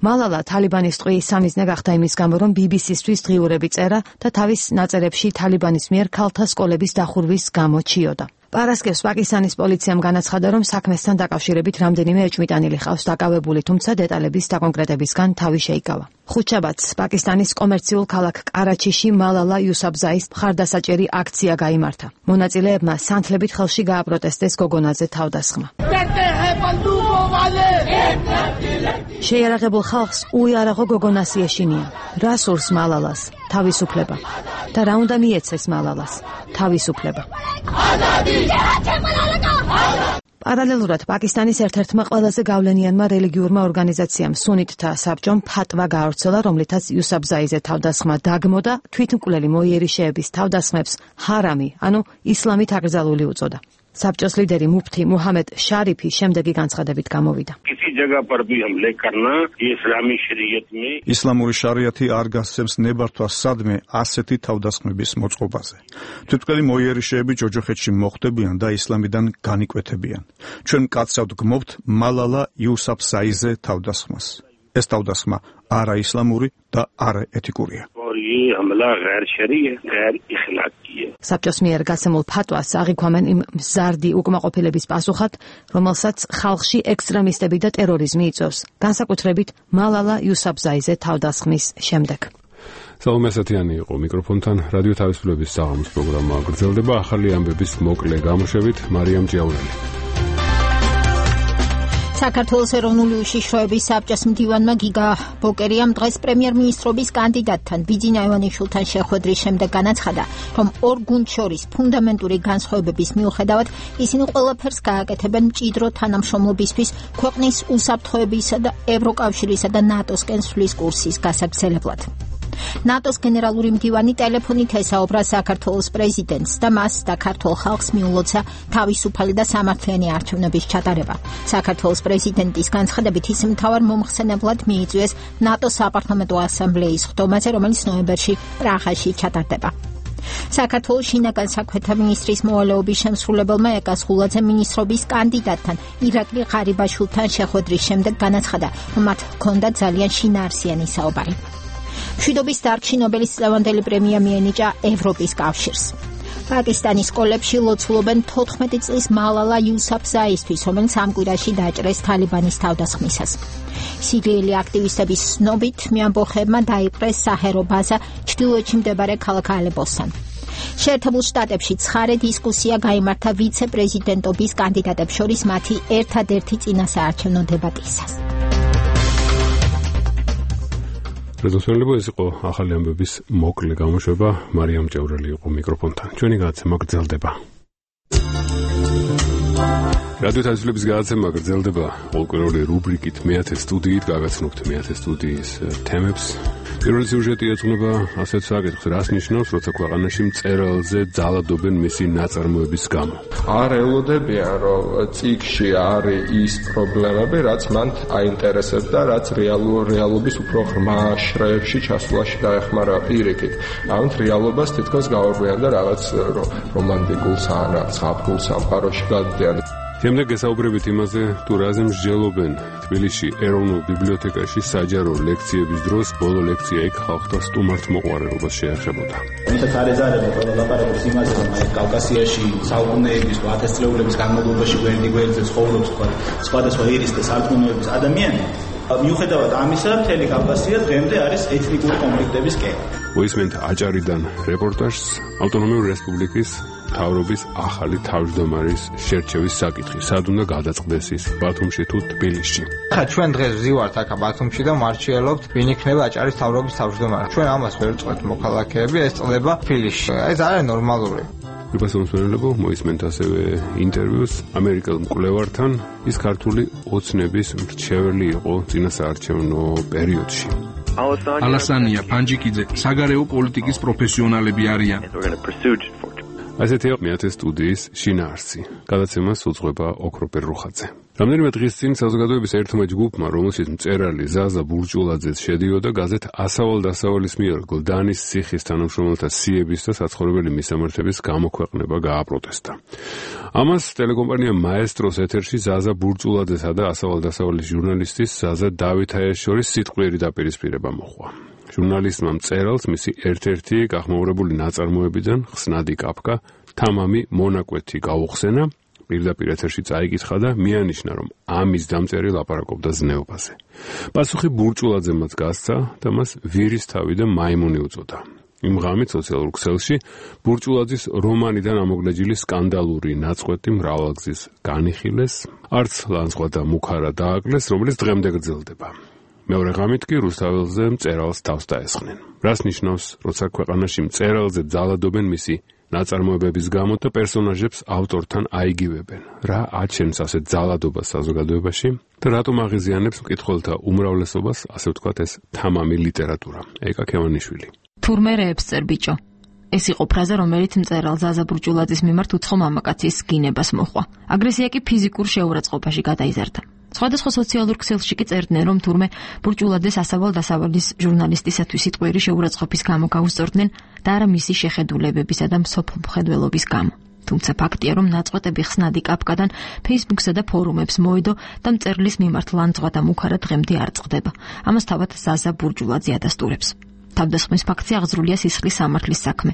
მალალა თალიბანის ტყვიის სამიზნე გახდა იმის გამო, რომ ბი ბი სი-ისთვის დღიურები წერა და თავის ნაწერებში თალიბანის მიერ ქალთა სკოლების დახურვის გამო ჩიოდა. პარასკევს პაკისტანის პოლიციამ განაცხადა, რომ საქმესთან დაკავშირებით რამდენიმე ეჭვმიტანილი ყავს დაკავებული, თუმცა დეტალების დაკონკრეტებისგან თავი შეიკავა. ხუთშაბათს პაკისტანის კომერციულ ქალაქ კარაჩიში მალალა იუსაფზაის მხარდასაჭერი აქცია გაიმართა. მონაწილეებმა სანთლებით ხელში გააპროტესტეს გოგონაზე თავდასხმა. შეიარაღებულ ხალხს უიარაღო გოგონას ეშინია. რა სურს მალალას? თავისუფლება. და რა უნდა მიეცეს მალალას? თავისუფლება. პარალელურად პაკისტანის ერთ-ერთმა ყველაზე გავლენიანმა რელიგიურმა ორგანიზაციამ სუნიტთა საბჭომ ფატვა გაავრცელა, რომლითაც იუსაფზაიზე თავდასხმა დაგმო და თვითმკვლელი მოიერიშეების თავდასხმებს ჰარამი, ანუ ისლამით აკრძალული უწოდა. საბჭოს ლიდერი მუფთი მუჰამედ შარიფი შემდეგი განცხადებით გამოვიდა. ისლამური შარიათი არ გასცემს ნებართვას სადმე ასეთი თავდასხმების მოწყობაზე. თვითმკვლელი მოიერიშეები ჯოჯოხეთში მოხვდებიან და ისლამიდან განიკვეთებიან. ჩვენ მკაცრავთ გმობთ მალალა იუსაფზაიზე თავდასხმას. ეს თავდასხმა არა ისლამური და არა ეთიკურია. საბჭოს მიერ გასცემულ ფატვას აღიქვამენ იმ მზარდი უკმაყოფილების პასუხად, რომელსაც ხალხში ექსტრემისტები და ტერორიზმი იწვევს, განსაკუთრებით მალალა იუსაფზაიზე თავდასხმის შემდეგ. სალომე ასათიანი იყო მიკროფონთან. რადიო თავისუფლების საღამოს პროგრამა გრძელდება ახალი ამბების მოკლე გამოშვებით მარიამ ჭიაურელი. საქართველოს ეროვნული უშიშროების საბჭოს მდივანმა გიგა ბოკერიამ დღეს პრემიერ-მინისტრობის კანდიდატთან ბიძინა ივანიშვილთან შეხვედრის შემდეგ განაცხადა, რომ ორ გუნდს შორის ფუნდამენტური განსხვავებების მიუხედავად ისინი ყველაფერს გააკეთებენ მჭიდრო თანამშრომლობისთვის ქვეყნის უსაფრთხოებისა და ევროკავშირისა და ნატოსკენ სვლის კურსის გასაგრძელებლად. ნატოს გენერალური მდივანი ტელეფონით ესაუბრა საქართველოს პრეზიდენტს და მას და ქართულ ხალხს მიულოცა თავისუფალი და სამართლიანი არჩევნების ჩატარება. საქართველოს პრეზიდენტის განცხადებით ის მთავარ მომხსენებლად მიიწვიეს ნატოს საპარლამენტო ასამბლეის ხდომაზე, რომელიც ნოემბერში პრაღაში ჩატარდება. საქართველოს შინაგან საქმეთა მინისტრის მოვალეობის შემსრულებელმა ეკა სხულაძე მინისტრობის კანდიდატთან ირაკლი ღარიბაშვილთან შეხვედრის შემდეგ განაცხადა, რომ მათ ჰქონდათ ძალიან შინაარსიანი საუბარი. მშვიდობის დარგში ნობელის წლევანდელი პრემია მიენიჭა ევროპის კავშირს. პაკისტანის სკოლებში ლოცულობენ თოთხმეტი წლის მალალა იუსაფზაისთვის, რომელიც ამ კვირაში დაჭრეს თალიბანის თავდასხმისას. სირიელი აქტივისტების ცნობით მეამბოხებმა დაიპყრეს საჰერო ბაზა ჩრდილოეთში მდებარე ქალაქ ალეპოსთან. შეერთებულ შტატებში ცხარე დისკუსია გაიმართა ვიცე-პრეზიდენტობის კანდიდატებს შორის მათი ერთადერთი წინასაარჩევნო დებატისას. რეზოლუციები ეს იყო ახალი ამბების მოკლე გამოშვება. მარიამ ჭევრელი იყო მიკროფონთან. ჩვენი გადაცემა გრძელდება. რადიო თავისუფლების გადაცემა გრძელდება ყოველკვირეული რუბრიკით მეათე სტუდიით, გაგაცნობთ მეათე სტუდიის თემებს. პირველი სიუჟეტი ეძღვნება ასეთ საკითხს, რას ნიშნავს, როცა ქვეყანაში მწერალზე ძალადობენ მისი ნაწარმოების გამო. არ ელოდებიან, რომ წიგნში არის ის პრობლემები, რაც მან აინტერესებს და რაც რეალურ რეალობის უფრო ღრმა შრეებში ჩასვლაში დაეხმარა პირიქით. ამით რეალობას თითქოს გაურბიან და რაღაც რომანტიკულ სანამ ზაფხულ სამყაროში გადადიან. შემდეგ გესაუბრებით იმაზე, თუ რაზე მსჯელობენ თბილისში ეროვნულ ბიბლიოთეკაში საჯარო ლექციების დროს, ბოლო ლექცია იქ ხალხთა სტუმართ მოყვარებას შეეხებოდა. ვისაც არ ეზარება ყველა ლაპარაკობს იმაზე, რომ აი კავკასიაში საუკუნეების თუ ათასწლეულების განმავლობაში გვერდი გვერდზე ცხოვრობს სხვადასხვა ირის და სარწმუნოების ადამიანი. მიუხედავად ამისა, მთელი კავკასია დღემდე არის ეთნიკური კონფლიქტების კერა. მოისმენთ აჭარიდან რეპორტაჟს ავტონომიური რესპუბლიკის მთავრობის ახალი თავმჯდომარის შერჩევის საკითხი. სად უნდა გადაწყდეს ის, ბათუმში თუ თბილისში? ხა ჩვენ დღეს ვზივართ აქ ბათუმში და მარჩიელობთ, ვინ იქნება აჭარის მთავრობის თავმჯდომარე. ჩვენ ამას ვერ წყვეთ მოქალაქეები, ეს წლება თბილისში. ეს არის ნორმალური. უპასუხებლობ მოისმენთ ასევე ინტერვიუს ამერიკელ მკვლევართან. ის ქართული ოცნების მრჩეველი იყო წინასაარჩევნო პერიოდში. ალასანია, პანჯიკიძე, საგარეო პოლიტიკის პროფესიონალები არიან. ასეთია მეათე სტუდიის შინაარსი. გადაცემას უძღვება ოქროპერ რუხაძე. რამდენიმე დღის წინ საზოგადოების ერთმა ჯგუფმა, რომელშიც მწერალი ზაზა ბურჭულაძეც შედიოდა, გაზეთ ასავალ-დასავალის მიერ გლდანის ციხის თანამშრომელთა სიების და საცხოვრებელი მისამართების გამოქვეყნება გააპროტესტა. ამას ტელეკომპანია მაესტროს ეთერში ზაზა ბურჭულაძესა და ასავალ-დასავალის ჟურნალისტის ზაზა დავითაიას შორის სიტყვიერი დაპირისპირება მოჰყვა. ჟურნალისტმა მწერალს მისი ერთ-ერთი გახმაურებული ნაწარმოებიდან ხსნადი კაფკა თამამი მონაკვეთი გაუხსენა, პირდაპირ ეთერში წაიკითხა და მიანიშნა, რომ ამის დამწერი ლაპარაკობდა ზნეობაზე. პასუხი ბურჭულაძემაც გასცა და მას ვირისთავი და მაიმუნი უწოდა. იმ ღამით სოციალურ ქსელში ბურჭულაძის რომანიდან ამოგლეჯილი სკანდალური ნაწყვეტი მრავალგზის განიხილეს, არც ლანძღვა და მუქარა დააკლეს, რომელიც დღემდე გრძელდება. მეორე ღამით კი რუსთაველზე მწერალს თავს დაესხნენ. რას ნიშნავს, როცა ქვეყანაში მწერალზე ძალადობენ მისი ნაწარმოებების გამო და პერსონაჟებს ავტორთან აიგივებენ? რა აჩენს ასეთ ძალადობას საზოგადოებაში და რატომ აღიზიანებს მკითხველთა უმრავლესობას, ასე ვთქვათ, ეს თამამი ლიტერატურა? ეკა ქევანიშვილი. თურმე რეებს წერ ბიჭო. ეს იყო ფრაზა, რომელიც მწერალ ზაზა ბურჭულაძის მიმართ უცხო მამაკაცის გინებას მოჰყვა. აგრესია კი ფიზიკურ შეურაცხყოფაში გადაიზარდა. სხვადასხვა სოციალურ ქსელში კი წერდნენ, რომ თურმე ბურჭულაძეს ასავალ-დასავალის ჟურნალისტისათვის სიტყვიერი შეურაცხყოფის გამო გაუსწორდნენ და არა მისი შეხედულებებისა და მსოფლმხედველობის გამო. თუმცა ფაქტია, რომ ნაწყვეტები ხსნადი კაპკადან Facebook-სა და ფორუმებს მოედო და მწერლის მიმართ ლანძღვა და მუქარა დღემდე არ წყდება. ამას თავად ზაზა ბურჭულაძე ადასტურებს. თავდასხმის ფაქტი აღძრულია სისხლის სამართლის საქმე.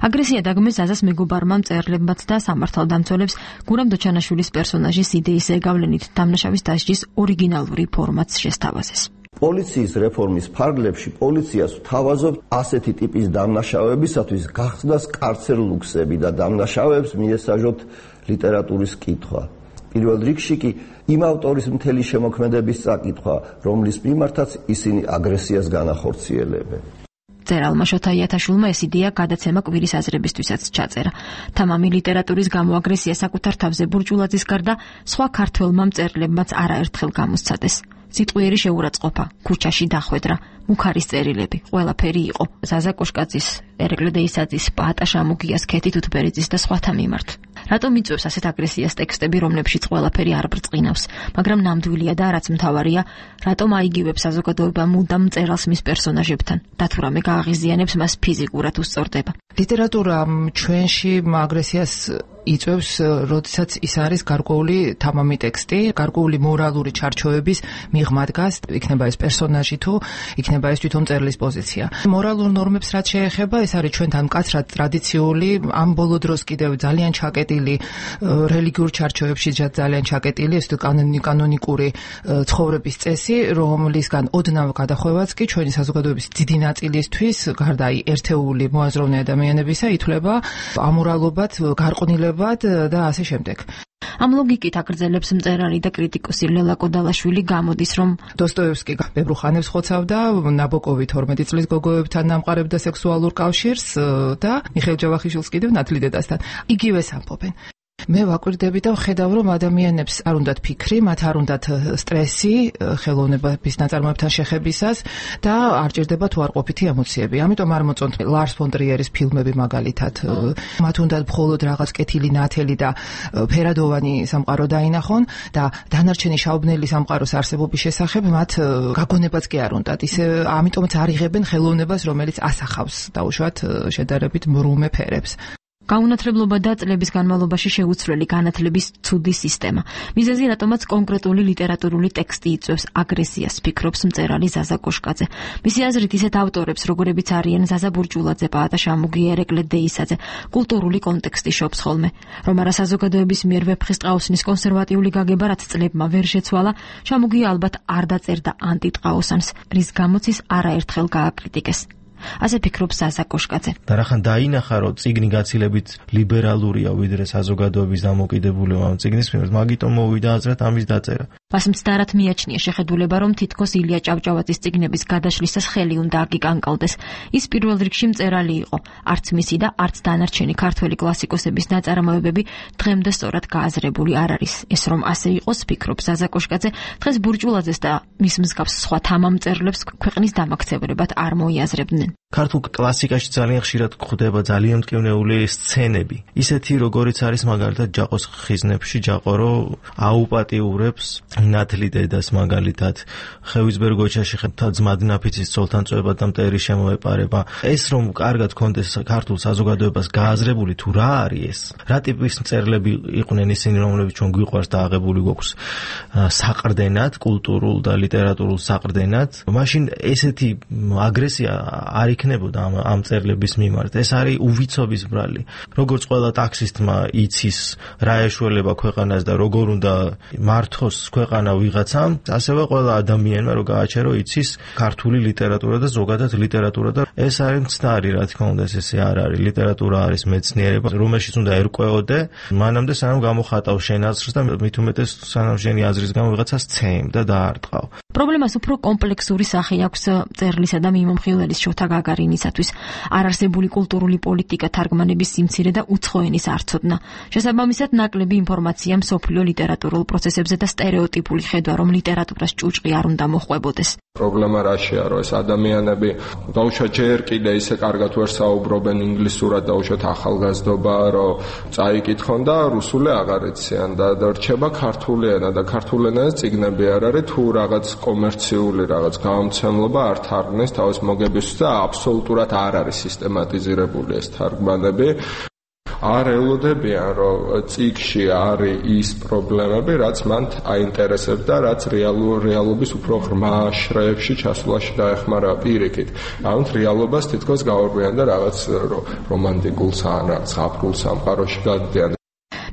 აგრესია დაგმეს ზაზას მეგობარმა მწერლებმაც და სამართალდამცველებს გურამ დოჩანაშვილის პერსონაჟის იდეის ზეგავლენით დამნაშავის დასჯის ორიგინალური ფორმატს შესთავაზეს. პოლიციის რეფორმის ფარგლებში პოლიციას თავაზობთ ასეთი ტიპის დამნაშავეებისათვის გახსნას კარცერლუქსები და დამნაშავეებს მიესაჟოთ ლიტერატურის კითხვა. პირველ რიგში კი იმ ავტორის მთელი შემოქმედების წაკითხვა, რომლის მიმართაც ისინი აგრესიას განახორციელებენ. მწერალმა შოთა იათაშვილმა ეს იდეა გადაცემა კვირის აზრებისთვისაც ჩაწერა. თამამი ლიტერატურის გამო აგრესია საკუთარ თავზე ბურჭულაძის გარდა სხვა ქართველმა მწერლებმაც არაერთხელ გამოსცადეს. სიტყვიერი შეურაცხყოფა, ქუჩაში დახვედრა, მუქარის წერილები, ყველაფერი იყო. ზაზა კოშკაძის, ერეკლე დეისაძის, პაატა შამუგიას, ქეთი თუთბერიძის და სხვათა მიმართ. რატომ იწვევს ასეთ აგრესიას ტექსტები, რომლებშიც ყველაფერი არ ბრწყინავს, მაგრამ ნამდვილია და რაც მთავარია, რატომ აიგივებს საზოგადოება მუდამ მწერალს მის პერსონაჟებთან და თუ რამე გააღიზიანებს მას ფიზიკურად უსწორდება. ლიტერატურა ჩვენში აგრესიას იწვევს, როდესაც ის არის გარკვეული თამამი ტექსტი, გარკვეული მორალური ჩარჩოების მიღმა დგას, იქნება ეს პერსონაჟი თუ იქნება ეს თვითონ მწერლის პოზიცია. მორალურ ნორმებს რაც შეეხება, ეს არის ჩვენთან მკაცრად ტრადიციული, ამ ბოლო დროს კიდევ ძალიან ჩაკეტილი რელიგიურ ჩარჩოებში ძალიან ჩაკეტილი, ეს კანონიკური ცხოვრების წესი, რომლისგან ოდნავ გადახვევაც კი ჩვენი საზოგადოების დიდი ნაწილისთვის, გარდა ერთეული მოაზროვნე ადამიანებისა, ითვლება ამორალობად, გარყვნილებად და ასე შემდეგ. ამ ლოგიკით აგრძელებს მწერალი და კრიტიკოსი ლელა კოდალაშვილი, გამოდის, რომ დოსტოევსკი ბევრ ხანებს ხოცავდა, ნაბოკოვი თორმეტი წლის გოგოებთან ამყარებდა სექსუალურ კავშირს და მიხეილ ჯავახიშვილს კიდევ ნათლი დედასთან. იგივეს ამბობენ. მე ვაკვირდები და ვხედავ, რომ ადამიანებს არ უნდათ ფიქრი, მათ არ უნდათ სტრესი ხელოვნების ნაწარმოებთან შეხებისას და არ ჭირდება თუ არ ყოფითი ემოციები. ამიტომ არ მოწონთ ლარს ფონ ტრიერის ფილმები მაგალითად. მათ უნდათ მხოლოდ რაღაც კეთილი ნათელი და ფერადოვანი სამყარო დაინახონ და დანარჩენი შაუბნელი სამყაროს არსებობის შესახებ მათ გაგონებაც კი არ უნდათ. ისე ამიტომაც არ იღებენ ხელოვნებას, რომელიც ასახავს დაუშვათ შედარებით მრუმე ფერებს. გაუნათლებლობა და წლების განმავლობაში შეუცვლელი განათლების ცუდი სისტემა. მიზეზი რატომაც კონკრეტული ლიტერატურული ტექსტი იწვევს აგრესიას, ფიქრობს მწერალი ზაზა კოშკაძე. მისი აზრით ისეთ ავტორებს, როგორებიც არიან ზაზა ბურჭულაძე, პაატა შამუგია, ერეკლე დეისაძე, კულტურული კონტექსტი შობს ხოლმე. რომ არა საზოგადოების მიერ ვეფხისტყაოსნის კონსერვატიული გაგება, რაც წლებმა ვერ შეცვალა, შამუგია ალბათ არ დაწერდა ანტიტყაოსანს, რის გამოც ის არაერთხელ გააკრიტიკეს. ასე ფიქრობს ზაზა კოშკაძე. და რახან დაინახა, რომ წიგნი გაცილებით ლიბერალურია ვიდრე საზოგადოების დამოკიდებულება ამ წიგნის მიმართ, მაგიტომ მოვიდა აზრად ამის დაწერა. მას მცდარად მიაჩნია შეხედულება, რომ თითქოს ილია ჭავჭავაძის წიგნების გადაშლისას ხელი უნდა აგიკანკალდეს. ის პირველ რიგში მწერალი იყო, არც მისი და არც დანარჩენი ქართველი კლასიკოსების ნაწარმოებები დღემდე სწორად გააზრებული არ არის. ეს რომ ასე იყოს, ფიქრობს ზაზა კოშკაძე, დღეს ბურჭულაძეს და მის მსგავს სხვა თამამ მწერლებს ქვეყნის დამაქცევრებად არ მოიაზრებდნენ. ქართულ კლასიკაში ძალიან ხშირად გვხვდება ძალიან მტკივნეული სცენები. ისეთი, როგორიც არის მაგალითად ჯაყოს ხიზნებში, ჯაყო რო აუპატიურებს ნათლი დედას მაგალითად, ხევისბერგოჩაში ძმად ნაფიცის ცოლთან წვება და მტერი შემოეპარება. ეს რომ კარგად გქონდეს ქართულ საზოგადოებას გააზრებული თუ რა არის ეს, რა ტიპის მწერლები იყვნენ ისინი, რომლებიც ჩვენ გვიყვარს და აღებული გვაქვს საყრდენად, კულტურულ და ლიტერატურულ საყრდენად, მაშინ ესეთი აგრესია არ იქნებოდა ამ ამ წერილების მიმართ. ეს არის უვიცობის ბრალი. როგორც ყველა ტაქსისტმა იცის რა ეშველება ქვეყანას და როგორ უნდა მართოს ქვეყანა ვიღაცამ, ასევე ყველა ადამიანმა რო გააჩერო იცის ქართული ლიტერატურა და ზოგადად ლიტერატურა და ეს არის მცდარი, რა თქმა უნდა, ეს ესე არ არის. ლიტერატურა არის მეცნიერება, რომელშიც უნდა ერკვეოდე, მანამდე სანამ გამოხატავ შენ აზრს და მით უმეტეს სანამ შენი აზრის გამო ვიღაცას ცემ და დაარტყავ. პრობლემას უფრო კომპლექსური სახე აქვს წერლისა და მიმომხილველის შოთა გაგარინისათვის. არარსებული კულტურული პოლიტიკა, თარგმანების სიმცირე და უცხო ენის არცოდნა. შესაბამისად, ნაკლები ინფორმაცია მსოფლიო ლიტერატურულ პროცესებზე და სტერეოტიპული ხედვა, რომ ლიტერატურას ჭუჭყი არ უნდა მოხვებოდეს. პრობლემა რაშია, რომ ეს ადამიანები დაუშვათ ჯერ კიდე ისე კარგად ვერ საუბრობენ ინგლისურად, დაუშვათ ახალგაზრდობა, რომ წაიკითხონ და რუსული აღარ იციან და რჩება ქართული ენა და ქართული ენაზე წიგნები არ არის, თუ რაღაც კომერციული რაღაც გამომცემლობა არ თარგმნეს თავის მოგებისთვის და აბსოლუტურად არ არის სისტემატიზირებული ეს თარგმანები. არ ელოდებიან, რომ წიგნში არის ის პრობლემები, რაც მან აინტერესებდა, რაც რეალურ რეალობის უფრო ღრმა შრეებში ჩასვლაში დაეხმარა პირიქით. ამით რეალობას თითქოს გაურბიან და რაღაც რომანტიკულს ან რაღაც აფრულ სამყაროში გადიან.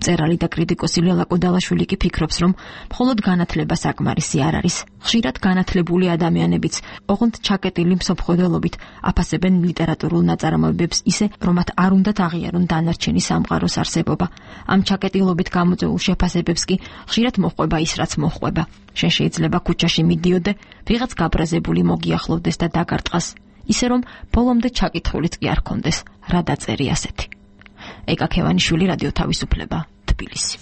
მწერალი და კრიტიკოსი ლელა კუდალაშვილი კი ფიქრობს, რომ მხოლოდ განათლება საკმარისი არ არის. ხშირად განათლებული ადამიანებიც, ოღონდ ჩაკეტილი მსოფლმხედველობით აფასებენ ლიტერატურულ ნაწარმოებებს ისე, რომ მათ არ უნდათ აღიარონ დანარჩენი სამყაროს არსებობა. ამ ჩაკეტილობით გამოწვეულ შეფასებებს კი ხშირად მოჰყვება ის, რაც მოჰყვება. შენ შეიძლება ქუჩაში მიდიოდე, ვიღაც გაბრაზებული მოგიახლოვდეს და დაგარტყას, ისე რომ ბოლომდე ჩაკითხულიც კი არ ქონდეს, რა დაწერი ასეთი. ეკა ქევანიშვილი, რადიო თავისუფლება, თბილისი.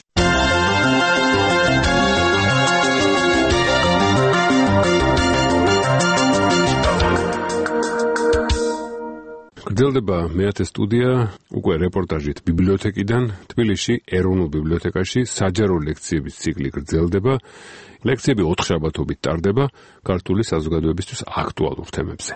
გრძელდება მეათე სტუდია უკვე რეპორტაჟით ბიბლიოთეკიდან. თბილისში ეროვნულ ბიბლიოთეკაში საჯარო ლექციების ციკლი გრძელდება. ლექციები ოთხშაბათობით ტარდება ქართული საზოგადოებისთვის აქტუალურ თემებზე.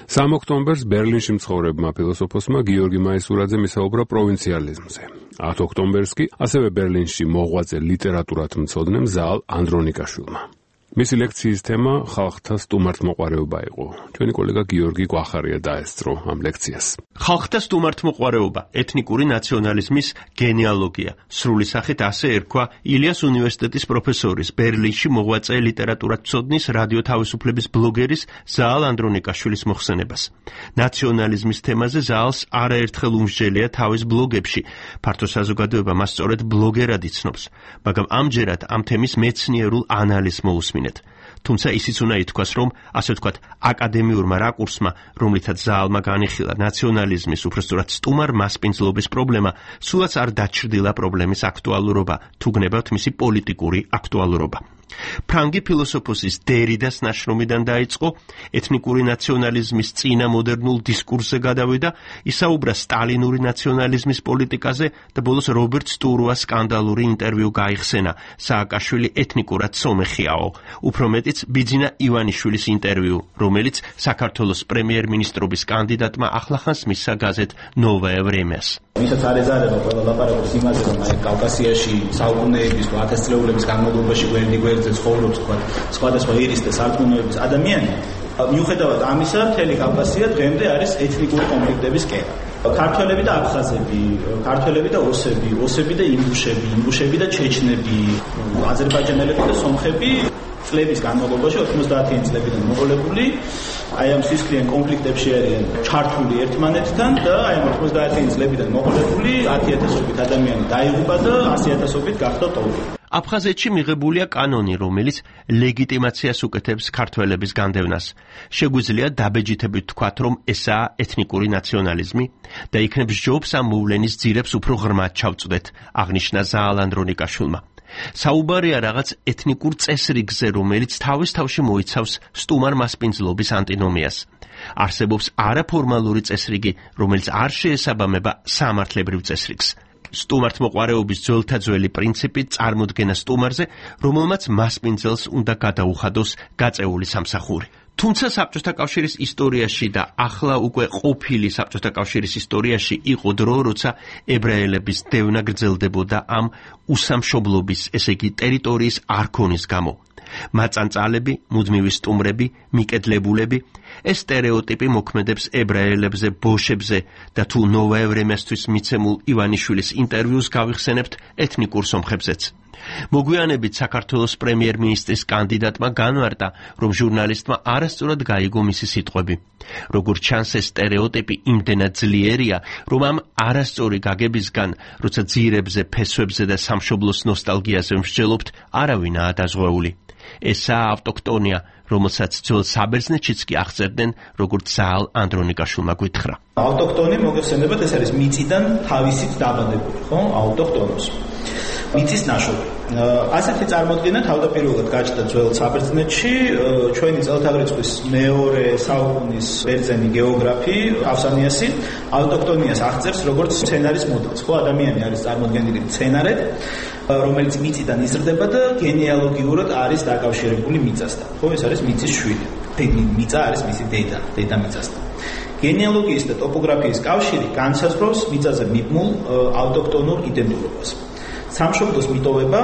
სამ ოქტომბერს ბერლინში მცხოვრებმა ფილოსოფოსმა გიორგი მაისურაძემ ისაუბრა პროვინციალიზმზე. ათ ოქტომბერს კი ასევე ბერლინში მოღვაწე ლიტერატურათმცოდნემ ზაალ ანდრონიკაშვილმა. მისი ლექციის თემა ხალხთა სტუმართმოყვარეობა იყო. ჩვენი კოლეგა გიორგი გვახარია დაესწრო ამ ლექციას. ხალხთა სტუმართმოყვარეობა, ეთნიკური ნაციონალიზმის გენეალოგია. სრული სახით ასე ერქვა ილიას უნივერსიტეტის პროფესორის, ბერლინში მოღვაწე ლიტერატურათმცოდნის, რადიო თავისუფლების ბლოგერის ზაალ ანდრონიკაშვილის მოხსენებას. ნაციონალიზმის თემაზე ზაალს არაერთხელ უმსჯელია თავის ბლოგებში. ფართო საზოგადოება მას სწორედ ბლოგერად იცნობს, მაგრამ ამჯერად ამ თემის მეცნიერულ ანალიზს მოусმინეთ. თუმცა ისიც უნდა ითქვას, რომ ასე ვთქვათ, აკადემიურმა რაკურსმა, რომლითაც ზაალმა განიხილა ნაციონალიზმის, უბრალოდ სტუმარ მასპინძლობის პრობლემა, სულაც არ დაჩრდილა პრობლემის აქტუალურობა, თუ გნებავთ მისი პოლიტიკური აქტუალურობა. ფრანგი ფილოსოფოსის დერიდას ნაშრომიდან დაიწყო, ეთნიკური ნაციონალიზმის წინა მოდერნულ დისკურსზე გადავიდა, ისაუბრა სტალინური ნაციონალიზმის პოლიტიკაზე და ბოლოს რობერტ სტურუას სკანდალური ინტერვიუ გაიხსენა, სააკაშვილი ეთნიკურად სომეხიაო, უფრო მეტიც ბიძინა ივანიშვილის ინტერვიუ, რომელიც საქართველოს პრემიერ-მინისტრობის კანდიდატმა ახლახანს მისცა გაზეთ ნოვაე ვრემიას. ვისაც არ ეზარება ყველა ლაპარაკობს იმაზე, რომ აი კავკასიაში საუკუნეების თუ ათასწლეულების განმავლობაში გვერდი გვერდზე ცხოვრობს თქვა სხვადასხვა ირის და სარწმუნოების ადამიანი. მიუხედავად ამისა, მთელი კავკასია დღემდე არის ეთნიკური კონფლიქტების კერა. ქართველები და აფხაზები, ქართველები და ოსები, ოსები და ინგუშები, ინგუშები და ჩეჩნები, აზერბაიჯანელები და სომხები წლების განმავლობაში ოცდაათიანი წლებიდან მოყოლებული აი ამ სისხლიან კონფლიქტებში არიან ჩართული ერთმანეთთან და აი ამ ოცდაათიანი წლებიდან მოყოლებული ათი ათასობით ადამიანი დაიღუპა და ასი ათასობით გახდა ტოვი. აფხაზეთში მიღებულია კანონი, რომელიც ლეგიტიმაციას უკეთებს ქართველების განდევნას. შეგვიძლია დაბეჯითებით ვთქვათ, რომ ესაა ეთნიკური ნაციონალიზმი და იქნებ სჯობს ამ მოვლენის ძირებს უფრო ღრმად ჩავწვდეთ, აღნიშნა ზაალ ანდრონიკაშვილმა. საუბარია რაღაც ეთნიკურ წესრიგზე, რომელიც თავის თავში მოიცავს სტუმარ მასპინძლობის ანტინომიას. არსებობს არაფორმალური წესრიგი, რომელიც არ შეესაბამება სამართლებრივ წესრიგს. სტუმართმოყვარეობის ძველთა ძველი პრინციპი წარმოდგენა სტუმარზე, რომელმაც მასპინძელს უნდა გადაუხადოს გაწეული სამსახური. თუმცა საბჭოთა კავშირის ისტორიაში და ახლა უკვე ყოფილი საბჭოთა კავშირის ისტორიაში იყო დრო, როცა ებრაელების დევნა გრძელდებოდა ამ უსამშობლობის, ესე იგი ტერიტორიის არქონის გამო. მაწანწალები, მუდმივი სტუმრები, მიკედლებულები, ეს სტერეოტიპი მოქმედებს ებრაელებზე, ბოშებზე და თუ ნოვა ევრემესთვის მიცემულ ივანიშვილის ინტერვიუს გავიხსენებთ ეთნიკურ სომხებზეც. მოგვიანებით საქართველოს პრემიერ-მინისტრის კანდიდატმა განმარტა, რომ ჟურნალისტმა არასწორად გაიგო მისი სიტყვები. როგორც ჩანს, ეს სტერეოტიპი იმდენად ძლიერია, რომ ამ არასწორი გაგებისგან, როცა ძირებზე, ფესვებზე და სამშობლოს ნოსტალგიაზე მსჯელობთ, არავინაა დაზღვეული. ესაა ავტოქტონია, რომელსაც ძველ საბერძნეთშიც კი აღწერდნენ, როგორც ზაალ ანდრონიკაშვილმა გითხრა. ავტოქტონი მოგეხსენებათ, ეს არის მიწიდან თავისით დაბადებული, ხო? ავტოქტონოს. მიწის ნაშრომი. ასეთი წარმოდგენა თავდაპირველად გაჩნდა ძველ საბერძნეთში. ჩვენი წელთაღრიცხვის მეორე საუკუნის ბერძენი გეოგრაფი ავსანიასი ავტოქტონიას აღწერს როგორც მცენარის მოდელს. ხო, ადამიანი არის წარმოდგენილი მცენარედ, რომელიც მიწიდან იზრდება და გენეალოგიურად არის დაკავშირებული მიწასთან. ხო, ეს არის მიწის შვილი. მიწა არის მისი დედა, დედამიწასთან. გენეალოგიის და ტოპოგრაფიის კავშირი განსაზღვრავს მიწაზე მიბმულ ავტოქტონურ იდენტურობას. სამშობლოს მიტოვება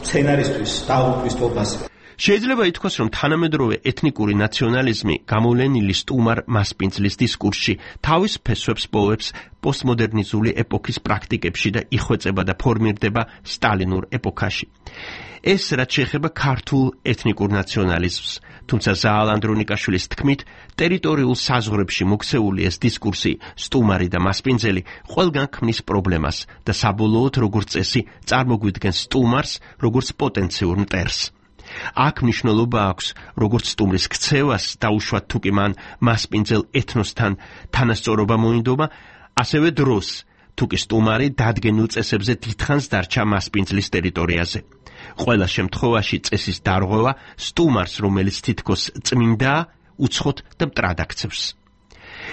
სცენარისტვის დაღუპვის თვალსაზრისით. შეიძლება ითქვას, რომ თანამედროვე ეთნიკური ნაციონალიზმი გამოვლენილი სტუმარ მასპინძლის დისკურსში თავის ფესვებს პოვებს პოსტმოდერნიზული ეპოქის პრაქტიკებში და იხვეწება და ფორმირდება სტალინურ ეპოქაში. ეს რაც შეეხება ქართულ ეთნიკურ ნაციონალიზმს, თუმცა ზაალ ანდრონიკაშვილის თქმით, ტერიტორიულ საზღვრებში მოქცეული ეს დისკურსი, სტუმარი და მასპინძელი, ყველგან ქმნის პრობლემას და საბოლოოდ როგორც წესი წარმოგვიდგენს სტუმარს როგორც პოტენციურ მტერს. აქ მნიშვნელობა აქვს როგორც სტუმრის ქცევას, დაუშვათ თუ კი მან მასპინძელ ეთნოსთან თანასწორობა მოინდომა, ასევე დროს, თუ კი სტუმარი დადგენილ წესებზე დიდხანს დარჩა მასპინძლის ტერიტორიაზე. ყველა შემთხვევაში წესის დარღვევა სტუმარს, რომელიც თითქოს წმინდაა, უცხოთ და მტრად აქცევს.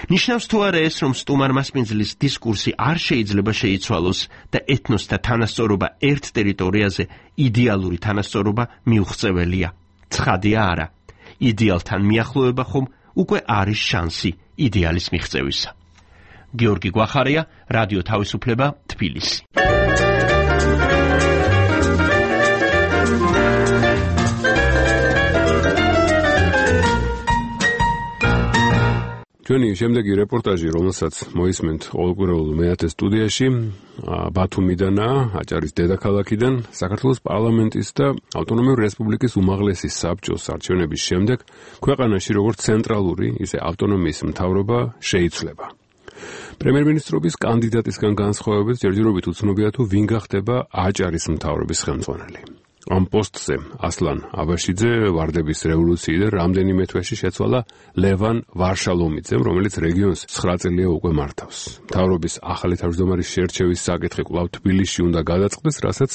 ნიშნავს თუ არა ეს, რომ სტუმარ-მასპინძლის დისკურსი არ შეიძლება შეიცვალოს და ეთნოსთა თანასწორობა ერთ ტერიტორიაზე იდეალური თანასწორობა მიუღწეველია. ცხადია არა. იდეალთან მიახლოება ხომ უკვე არის შანსი იდეალის მიღწევისა. გიორგი გვახარია, რადიო თავისუფლება, თბილისი. ჩვენი შემდეგი რეპორტაჟი, რომელსაც მოისმენთ ყოველკვირეულ მეათე სტუდიაში, ბათუმიდანაა, აჭარის დედაქალაქიდან, საქართველოს პარლამენტის და ავტონომიური რესპუბლიკის უმაღლესი საბჭოს არჩევნების შემდეგ ქვეყანაში როგორც ცენტრალური, ისე ავტონომიის მთავრობა შეიცვლება. პრემიერ-მინისტრობის კანდიდატისგან განსხვავებით ჯერჯერობით უცნობია თუ ვინ გახდება აჭარის მთავრობის ხელმძღვანელი. ამ პოსტზე ასლან აბაშიძე ვარდების რევოლუციიდან რამდენიმე თვეში შეცვალა ლევან ვარშალომიძემ, რომელიც რეგიონს ცხრა წელია უკვე მართავს. მთავრობის ახალი თავმჯდომარის შერჩევის საკითხი კვლავ თბილისში უნდა გადაწყდეს, რასაც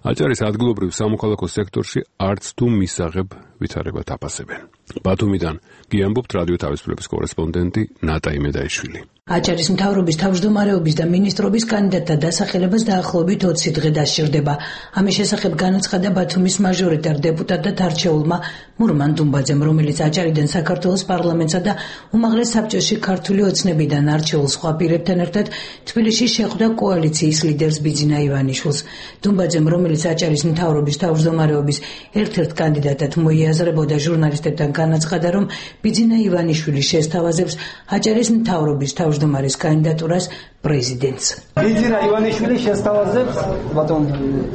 აჭარის ადგილობრივ სამოქალაქო სექტორში არც თუ მისაღებ ვითარებად აფასებენ. ბათუმიდან გიამბობთ რადიო თავისუფლების კორესპონდენტი ნატა იმედაიშვილი. აჭარის მთავრობის თავმჯდომარეობის და მინისტრობის კანდიდატთა დასახელებას დაახლოებით ოცი დღე დასჭირდება. ამის შესახებ განაცხადა ბათუმის მაჟორიტარ დეპუტატად არჩეულმა მურმან დუმბაძემ, რომელიც აჭარიდან საქართველოს პარლამენტსა და უმაღლეს საბჭოში ქართული ოცნებიდან არჩეულ სხვა პირებთან ერთად თბილისში შეხვდა კოალიციის ლიდერს ბიძინა ივანიშვილს. დუმბაძემ, რომელიც აჭარის მთავრობის თავმჯდომარეობის ერთ-ერთ კანდიდატად მოიაზრებოდა, ჟურნალისტებთან განაცხადა, რომ ბიძინა ივანიშვილი შესთავაზებს აჭარის მთავრობის თავმჯდომარის კანდიდატურას პრეზიდენტს. ბიძინა ივანიშვილი შესთავაზებს ბატონ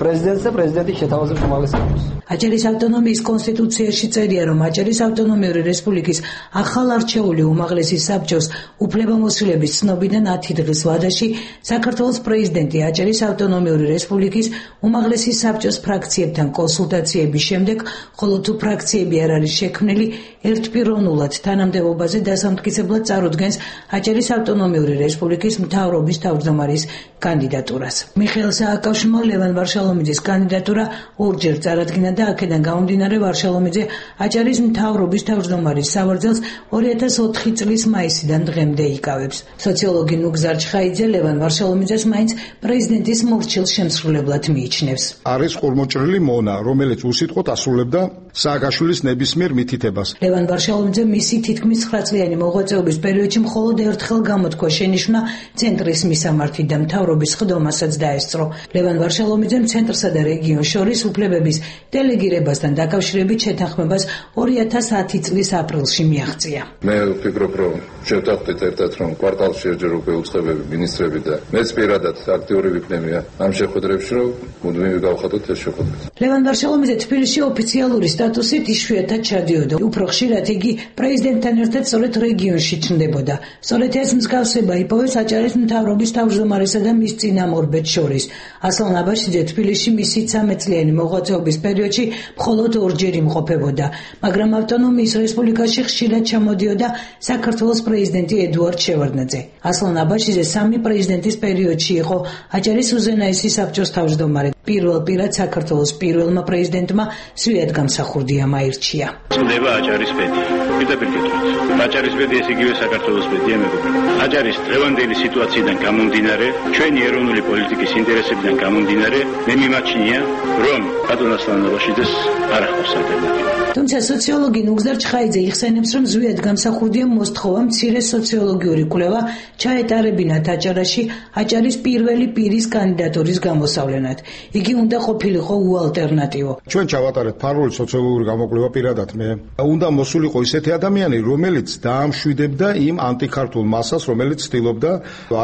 პრეზიდენტს და პრეზიდენტი შეთავაზებს უმაღლეს საბჭოს. აჭარის ავტონომიის კონსტიტუციაში წერია, რომ აჭარის ავტონომიური რესპუბლიკის ახალ არჩეული უმაღლესი საბჭოს უფლებამოსილების ცნობიდან ათი დღის ვადაში საქართველოს პრეზიდენტი აჭარის ავტონომიური რესპუბლიკის უმაღლესი საბჭოს ფრაქციებთან კონსულტაციების შემდეგ, ხოლო თუ ფრაქციები არ არის შექმნილი, ერთპიროვნულად თანამდებობაზე დასამტკიცებლად წარუდგენს აჭარის ავტონომიური რესპუბლიკის მთავრობის მთავრობის თავმჯდომარის კანდიდატურას. მიხეილ სააკაშვილმა ლევან ვარშალომიძის კანდიდატურა ორჯერ წარადგინა და აქედან გამომდინარე ვარშალომიძე აჭარის მთავრობის თავმჯდომარის სავარძელს ორი ათას ოთხი წლის მაისიდან დღემდე იკავებს. სოციოლოგი ნუგზარ ჩხაიძე ლევან ვარშალომიძეს მაინც პრეზიდენტის მორჩილ შემსრულებლად მიიჩნევს. არის ყურმოჭრილი მონა, რომელიც უსიტყვოდ ასრულებდა სააკაშვილის ნებისმიერ მითითებას. ლევან ვარშალომიძე მისი თითქმის ცხრა წლიანი მოღვაწეობის პერიოდში მხოლოდ ერთხელ გამოთქვა შენიშვნა ცენტრის მისამართი და მთავრობის ხდომასაც დაესწრო. ლევან ვარშალომიძემ ცენტრსა და რეგიონს შორის უფლებების დელეგირებასთან დაკავშირებით შეთანხმებას ორი ათას ათი წლის აპრილში მიაღწია. მე ვფიქრობ, რომ შევთანხმდით ერთად, რომ კვარტალში ერჯერ უკვე უცხოები მინისტრები და მეც პირადად აქტიური ვიქნები ამ შეხვედრებში, რომ მუდმივი გავხადოთ ეს შეხვედრა. ლევან ვარშალომიძე თბილისში ოფიციალური სტატუსით იშვიათად ჩადიოდა. უფრო ხშირად იგი პრეზიდენტთან ერთად სწორედ რეგიონში ჩნდებოდა. სწორედ ეს მსგავსება იპოვეს აჭარის მთავრობის თავმჯდომარესა და მის წინამორბედს შორის. ასლან აბაშიძე თბილისში მისი ცამეტ წლიანი მოღვაწეობის პერიოდში მხოლოდ ორჯერ იმყოფებოდა, მაგრამ ავტონომიის რესპუბლიკაში ხშირად ჩამოდიოდა საქართველოს პრეზიდენტი ედუარდ შევარდნაძე. ასლან აბაშიძე სამი პრეზიდენტის პერიოდში იყო აჭარის უზენაესი საბჭოს თავმჯდომარე. პირველ პირად საქართველოს პირველმა პრეზიდენტმა სვიად გამსახურდიამ აირჩია. წლდება აჭარის ბედი. პირდაპირ გეტყვით. აჭარის ბედი ეს იგივე საქართველოს ბედია მეგობრებო. აჭარის დღევანდელი სიტუაციიდან გამომდინარე, ჩვენი ეროვნული პოლიტიკის ინტერესებიდან გამომდინარე, მე მიმაჩნია, რომ ბატონ ასლან აბაშიძეს არ ახლავს ალტერნატივა. თუმცა სოციოლოგი ნუგზარ ჩხაიძე იხსენებს, რომ ზვიად გამსახურდიამ მოსთხოვა მცირე სოციოლოგიური კვლევა ჩაეტარებინათ აჭარაში აჭარის პირველი პირის კანდიდატურის გამოსავლენად. იგი უნდა ყოფილიყო უალტერნატივო. ჩვენ ჩავატარეთ ფარული სოციოლოგიური გამოკვლევა პირადად მე. უნდა მოსულიყო ისეთი ადამიანი, რომელიც დაამშვიდებდა იმ ანტიქართულ მასას, რომელიც ცდილობდა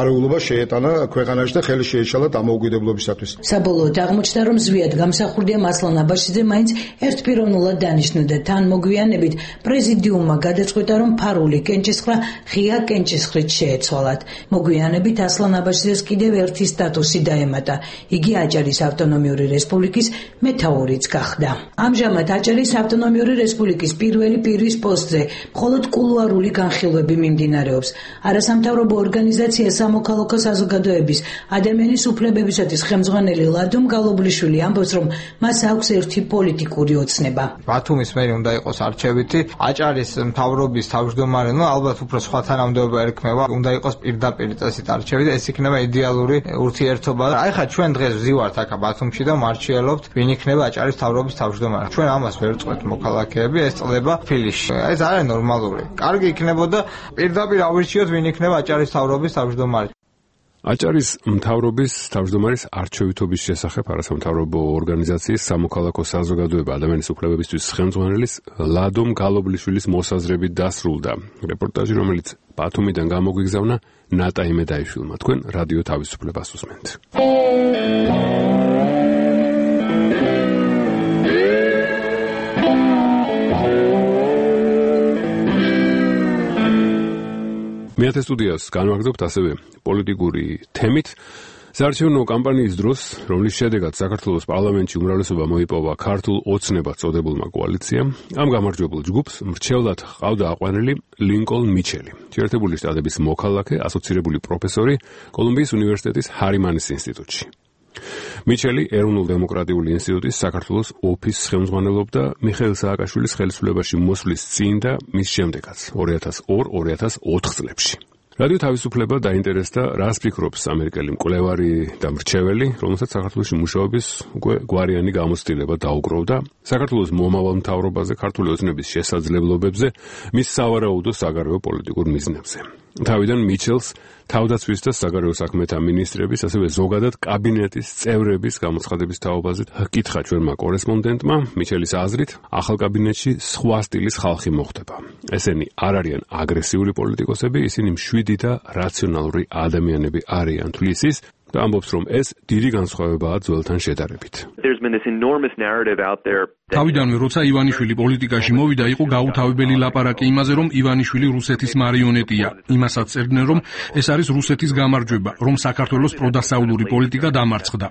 არეულობა შეეტანა ქვეყანაში და ხელი შეეშალა დამოუკიდებლობისათვის. საბოლოოდ აღმოჩნდა, რომ ზვიად გამსახურდიამ ასლან აბაშიძე მაინც ერთპიროვნულად დანიშნა და თან მოგვიანებით პრეზიდიუმმა გადაწყვიტა, რომ ფარული კენჭისხრა ღია კენჭისხრით შეეცვალათ. მოგვიანებით ასლან აბაშიძეს კიდევ ერთი სტატუსი დაემატა. იგი აჭარის ავტონომიური რესპუბლიკის მეთაურიც გახდა. ამჟამად აჭარის ავტონომიური რესპუბლიკის პირველი პირის პოსტზე მხოლოდ კულუარული განხილვები მიმდინარეობს. არასამთავრობო ორგანიზაცია სამოქალაქო საზოგადოების ადამიანის უფლებებისათვის ხელმძღვანელი ლადომ გალობლიშვილი ამბობს, რომ მას აქვს ერთი პოლიტიკური ოცნება. ბათუმის მერი უნდა იყოს არჩევითი, აჭარის მთავრობის თავმჯდომარე, ну ალბათ უფრო სხვა თანამდებობა ერქმევა, უნდა იყოს პირდაპირ წესით არჩევით, ეს იქნება იდეალური ურთიერთობა. აი ხა ჩვენ დღეს ვზივართ აქ ბათუმში და მარჩიელობთ, ვინ იქნება აჭარის მთავრობის თავმჯდომარე. ჩვენ ამას ვერ წყვეთ მოქალაქეები, ეს წლება თბილისში. ეს არ არის ნორმალური. კარგი იქნებოდა პირდაპირ ავირჩიოთ, ვინ იქნება აჭარის მთავრობის თავმჯდომარე. აჭარის მთავრობის თავმჯდომარის არჩევითობის შესახებ არასამთავრობო ორგანიზაციის სამოქალაქო საზოგადოება ადამიანის უფლებებისთვის ხელმძღვანელის ლადომ გალობლიშვილის მოსაზრებით დასრულდა. რეპორტაჟი, რომელიც ბათუმიდან გამოგვიგზავნა ნატა იმედაიშვილმა. თქვენ რადიო თავისუფლებას უსმენთ. მეათე სტუდიას განვაგრძობთ ასევე პოლიტიკური თემით. საარჩევნო კამპანიის დროს, რომლის შედეგად საქართველოს პარლამენტში უმრავლესობა მოიპოვა ქართულ ოცნებად წოდებულმა კოალიციამ, ამ გამარჯვებულ ჯგუფს მრჩევლად ჰყავდა აყვანილი ლინკოლნ მიჩელი, შეერთებული შტატების მოქალაქე, ასოცირებული პროფესორი კოლუმბიის უნივერსიტეტის ჰარიმანის ინსტიტუტში. მიჩელი ეროვნულ-დემოკრატიული ინსტიტუტის საქართველოს ოფისს ხელმძღვანელობდა მიხეილ სააკაშვილის ხელისუფლებაში მოსვლის წინ და მის შემდეგაც ორი ათას ორი ორი ათას ოთხ წლებში. რადიო თავისუფლება დაინტერესდა, რას ფიქრობს ამერიკელი მკვლევარი და მრჩეველი, რომელსაც საქართველოში მუშაობის უკვე გვარიანი გამოცდილება დაუგროვდა საქართველოს მომავალ მთავრობაზე, ქართული ოცნების შესაძლებლობებზე, მის სავარაუდო საგარეო პოლიტიკურ მიზნებზე. თავიდან მიჩელს თავდაცვის და საგარეო საქმეთა მინისტრების, ასევე ზოგადად კაბინეტის წევრების გამოცხადების თაობაზე ჰკითხა ჩვენმა კორესპონდენტმა. მიჩელის აზრით, ახალ კაბინეტში სხვა სტილის ხალხი მოხდება. ესენი არ არიან აგრესიული პოლიტიკოსები, ისინი მშვიდი და რაციონალური ადამიანები არიან, თვლის ის და ამბობს, რომ ეს დიდი განსხვავებაა ძველთან შედარებით. There's been this enormous narrative out there თავიდანვე როცა ივანიშვილი პოლიტიკაში მოვიდა, იყო გაუთავებელი ლაპარაკი იმაზე, რომ ივანიშვილი რუსეთის მარიონეტია. იმასაც წერდნენ, რომ ეს არის რუსეთის გამარჯვება, რომ საქართველოს პროდასავლური პოლიტიკა დამარცხდა.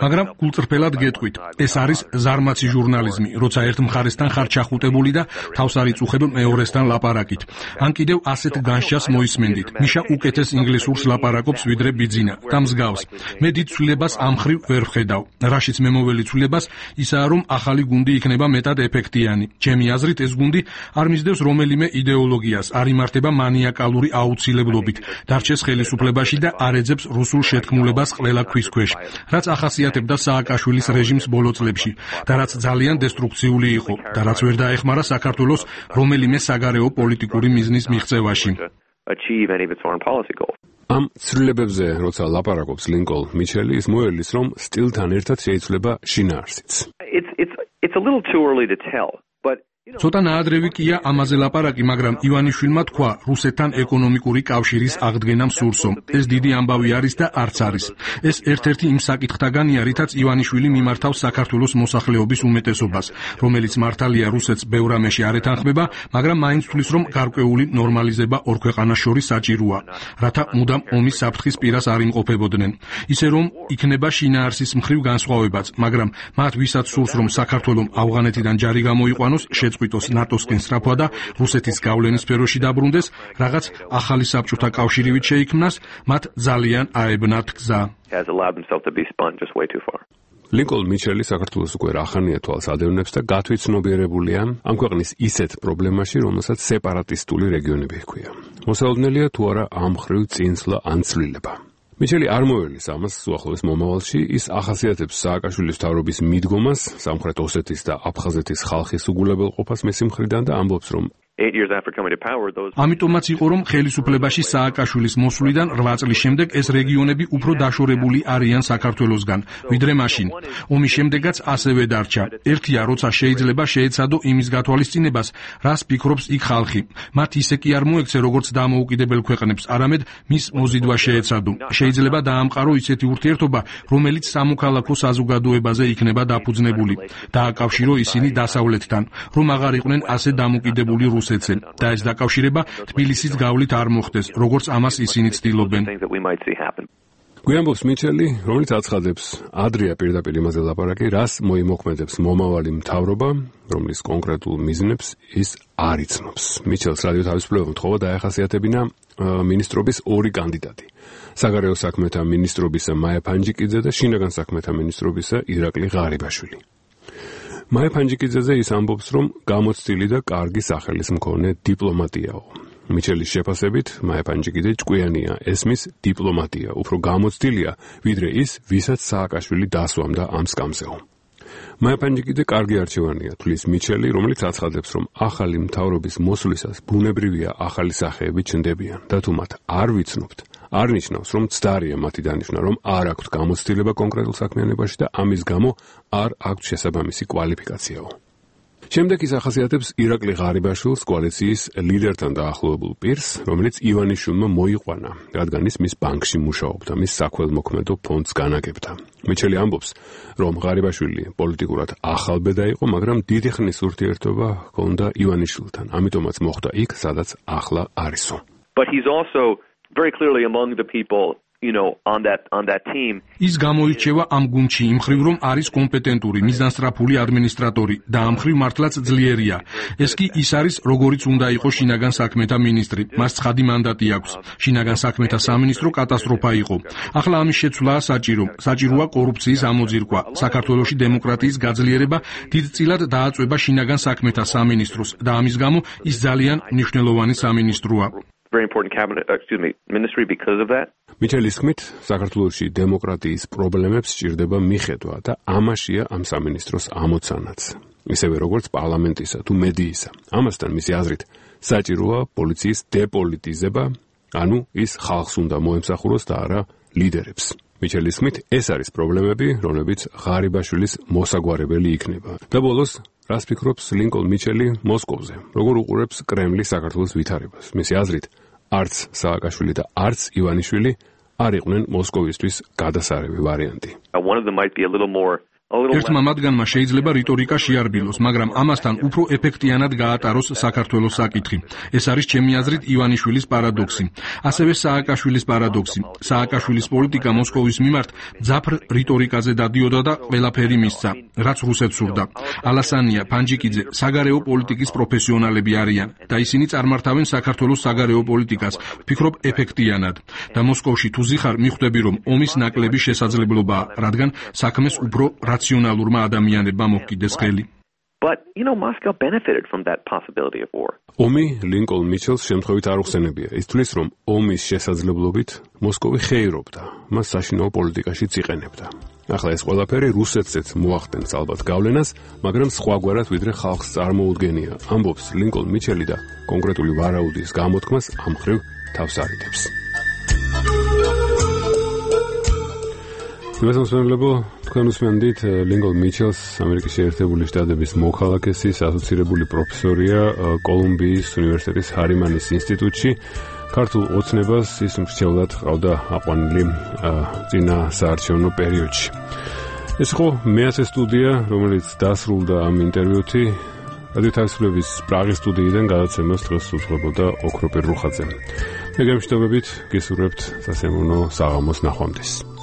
მაგრამ გულწრფელად გეტყვით, ეს არის ზარმაცი ჟურნალიზმი, როცა ერთ მხარესთან ხარ ჩახუტებული და თავს არ იწუხებ მეორესთან ლაპარაკით. ან კიდევ ასეთ განშას მოისმენდით. მიშა უკეთეს ინგლისურს ლაპარაკობს ვიდრე ბიძინა და მსგავს. მე დიდ ცვლილებას ამ მხრივ ვერ ვხედავ. რაშიც მე მოველი ცვლილებას ისაა, რომ ახალი გუნდი იქნება მეტად ეფექტიანი. ჩემი აზრით ეს გუნდი არ მისდევს რომელიმე იდეოლოგიას, არ იმართება მანიაკალური აუცილებლობით, დარჩეს ხელისუფლებაში და არ ეძებს რუსულ შეთქმულებას ყველა ქვის ქვეშ, რაც ახასიათებდა სააკაშვილის რეჟიმს ბოლო წლებში და რაც ძალიან დესტრუქციული იყო და რაც ვერ დაეხმარა საქართველოს რომელიმე საგარეო პოლიტიკური მიზნის მიღწევაში. ამ ცვლილებებზე, როცა ლაპარაკობს ლინკოლ მიჩელი, ის მოელის, რომ სტილთან ერთად შეიცვლება შინაარსიც. It's it's it's a little too early to tell, but ცოტა ნაადრევი კია ამაზე ლაპარაკი, მაგრამ ივანიშვილმა თქვა რუსეთთან ეკონომიკური კავშირის აღდგენამ სურსო. ეს დიდი ამბავი არის და არც არის. ეს ერთ-ერთი იმ საკითხთაგანია, რითაც ივანიშვილი მიმართავს საქართველოს მოსახლეობის უმეტესობას, რომელიც მართალია რუსეთს ბევრ რამეში არ ეთანხმება, მაგრამ მაინც თვლის, რომ გარკვეული ნორმალიზება ორ ქვეყანას შორის საჭიროა, რათა მუდამ ომის საფრთხის პირას არ იმყოფებოდნენ. ისე რომ იქნება შინაარსის მხრივ განსხვავებაც, მაგრამ მათ ვისაც სურს, რომ საქართველოს ავღანეთიდან ჯარი გამოიყვანოს, შეწყვიტოს ნატოსკენ სწრაფვა და რუსეთის გავლენის სფეროში დაბრუნდეს, რაღაც ახალი საბჭოთა კავშირივით შეიქმნას, მათ ძალიან აებნათ გზა. ლინკოლ მიჩელი საქართველოს უკვე რახანია თვალს ადევნებს და გათვითცნობიერებულია ამ ქვეყნის ისეთ პრობლემაში, რომელსაც სეპარატისტული რეგიონები ჰქვია. მოსალოდნელია თუ არა ამ მხრივ წინსვლა ან ცვლილება. მიჩელი არ მოელის ამას უახლოეს მომავალში, ის ახასიათებს სააკაშვილის მთავრობის მიდგომას, სამხრეთ ოსეთის და აფხაზეთის ხალხის უგულებელყოფას მისი მხრიდან და ამბობს, რომ ამიტომაც იყო, რომ ხელისუფლებაში სააკაშვილის მოსვლიდან რვა წლის შემდეგ ეს რეგიონები უფრო დაშორებული არიან საქართველოსგან, ვიდრე მაშინ. ომის შემდეგაც ასევე დარჩა. ერთია, როცა შეიძლება შეეცადო იმის გათვალისწინებას, რას ფიქრობს იქ ხალხი. მათ ისე კი არ მოექცე, როგორც დამოუკიდებელ ქვეყნებს, არამედ მის მოზიდვა შეეცადო. შეიძლება დაამყარო ისეთი ურთიერთობა, რომელიც სამოქალაქო საზოგადოებაზე იქნება დაფუძნებული. დააკავშირო ისინი დასავლეთთან, რომ აღარ იყვნენ ასე დამოკიდებული რუსეთს. და ეს დაკავშირება თბილისის გავლით არ მოხდეს, როგორც ამას ისინი ცდილობენ. გვიამბობს მიჩელი, რომელიც აცხადებს, ადრეა პირდაპირ იმაზე ლაპარაკი, რას მოიმოქმედებს მომავალი მთავრობა, რომლის კონკრეტულ მიზნებს ის არ იცნობს. მიჩელს რადიო თავისუფლება მთხოვა დაეხასიათებინა მინისტრობის ორი კანდიდატი. საგარეო საქმეთა მინისტრობისა მაია ფანჯიკიძე და შინაგან საქმეთა მინისტრობისა ირაკლი ღარიბაშვილი. მაია ფანჯიკიძეზე ის ამბობს, რომ გამოცდილი და კარგი სახელის მქონე დიპლომატიაო. მიჩელის შეფასებით, მაია ფანჯიკიძე ჭკვიანია, ესმის დიპლომატია, უფრო გამოცდილია, ვიდრე ის, ვისაც სააკაშვილი დასვამდა ამ სკამზეო. მაია ფანჯიკიძე კარგი არჩევანია, თვლის მიჩელი, რომელიც აცხადებს, რომ ახალი მთავრობის მოსვლისას ბუნებრივია ახალი სახეები ჩნდებიან და თუ მათ არ ვიცნობთ, არ ნიშნავს, რომ ცდარია მათი დანიშვნა, რომ არ აქვთ გამოცდილება კონკრეტულ საქმიანობაში და ამის გამო არ აქვთ შესაბამისი კვალიფიკაციაო. შემდეგ ის ახასიათებს ირაკლი ღარიბაშვილს, კოალიციის ლიდერთან დაახლოებულ პირს, რომელიც ივანიშვილმა მოიყვანა, რადგან ის მის ბანკში მუშაობდა, მის საქველმოქმედო ფონდს განაგებდა. მიჩელი ამბობს, რომ ღარიბაშვილი პოლიტიკურად ახალბედა იყო, მაგრამ დიდი ხნის ურთიერთობა ჰქონდა ივანიშვილთან, ამიტომაც მოხვდა იქ, სადაც ახლა არისო. But he's also very clearly among the people, you know, on that on that team. ის გამოირჩევა ამ გუნდში იმ მხრივ, რომ არის კომპეტენტური, მიზანსწრაფული ადმინისტრატორი და ამ მხრივ მართლაც ძლიერია. ეს კი ის არის, როგორიც უნდა იყოს შინაგან საქმეთა მინისტრი. მას ცხადი მანდატი აქვს. შინაგან საქმეთა სამინისტრო კატასტროფა იყო. ახლა ამის შეცვლაა საჭირო. საჭიროა კორუფციის ამოძირკვა. საქართველოში დემოკრატიის გაძლიერება დიდწილად დააწვება შინაგან საქმეთა სამინისტროს და ამის გამო ის ძალიან მნიშვნელოვანი სამინისტროა. Very important cabinet, uh, excuse me, ministry because of that. მიჩელის თქმით, საქართველოში დემოკრატიის პრობლემებს სჭირდება მიხედვა და ამაშია ამ სამინისტროს ამოცანაც. ისევე როგორც პარლამენტისა თუ მედიისა. ამასთან მისი აზრით, საჭიროა პოლიციის დეპოლიტიზება, ანუ ის ხალხს უნდა მოემსახუროს და არა ლიდერებს. მიჩელის თქმით, ეს არის პრობლემები, რომლებიც ღარიბაშვილის მოსაგვარებელი იქნება. და ბოლოს რას ფიქრობს ლინკოლ მიჩელი მოსკოვზე? როგორ უყურებს კრემლი საქართველოს ვითარებას? მისი აზრით, არც სააკაშვილი და არც ივანიშვილი არ იყვნენ მოსკოვისთვის გადასარევი ვარიანტი. One of them might be a little more ერთმა მათგანმა შეიძლება რიტორიკა შეარბილოს, მაგრამ ამასთან უფრო ეფექტიანად გაატაროს საქართველოს საკითხი. ეს არის ჩემი აზრით ივანიშვილის პარადოქსი. ასევე სააკაშვილის პარადოქსი. სააკაშვილის პოლიტიკა მოსკოვის მიმართ ძაფრ რიტორიკაზე დადიოდა და ყველაფერი მისცა, რაც რუსეთს სურდა. ალასანია, ფანჯიკიძე საგარეო პოლიტიკის პროფესიონალები არიან და ისინი წარმართავენ საქართველოს საგარეო პოლიტიკას, ვფიქრობ ეფექტიანად. და მოსკოვში თუ ზიხარ, მიხვდები რომ ომის ნაკლები შესაძლებლობაა, რადგან საქმეს უფრო რაციონალურმა ადამიანებმა მოჰკიდეს ხელი. But, you know, Moscow benefited from that possibility of war. ომი ლინკოლნ მიჩელს შემთხვევით არ უხსენებია. ის თვლის, რომ ომის შესაძლებლობით მოსკოვი ხეირობდა, მას საშინაო პოლიტიკაშიც იყენებდა. ახლა ეს ყველაფერი რუსეთსაც მოახდენს ალბათ გავლენას, მაგრამ სხვაგვარად ვიდრე ხალხს წარმოუდგენია. ამბობს ლინკოლნ მიჩელი და კონკრეტული ვარაუდის გამოთქმას ამ ხრივ თავს არიდებს. მოგესალმებო, თქვენ უსმენთ ლინკოლნ მიჩელს, ამერიკის შეერთებული შტატების მოქალაქეს, ასოცირებული პროფესორია კოლუმბიის უნივერსიტეტის ჰარიმანის ინსტიტუტში. ქართულ ოცნებას ის მრჩევლად ყავდა აყვანილი წინა საარჩევნო პერიოდში. ეს იყო მეათე სტუდია, რომელიც დასრულდა ამ ინტერვიუთი. რადიო თავისუფლების პრაღის სტუდიიდან გადაცემას დღეს უძღვებოდა ოქროპირ რუხაძე. მე გემშვიდობებით გისურვებთ სასიამოვნო საღამოს ნახვამდის.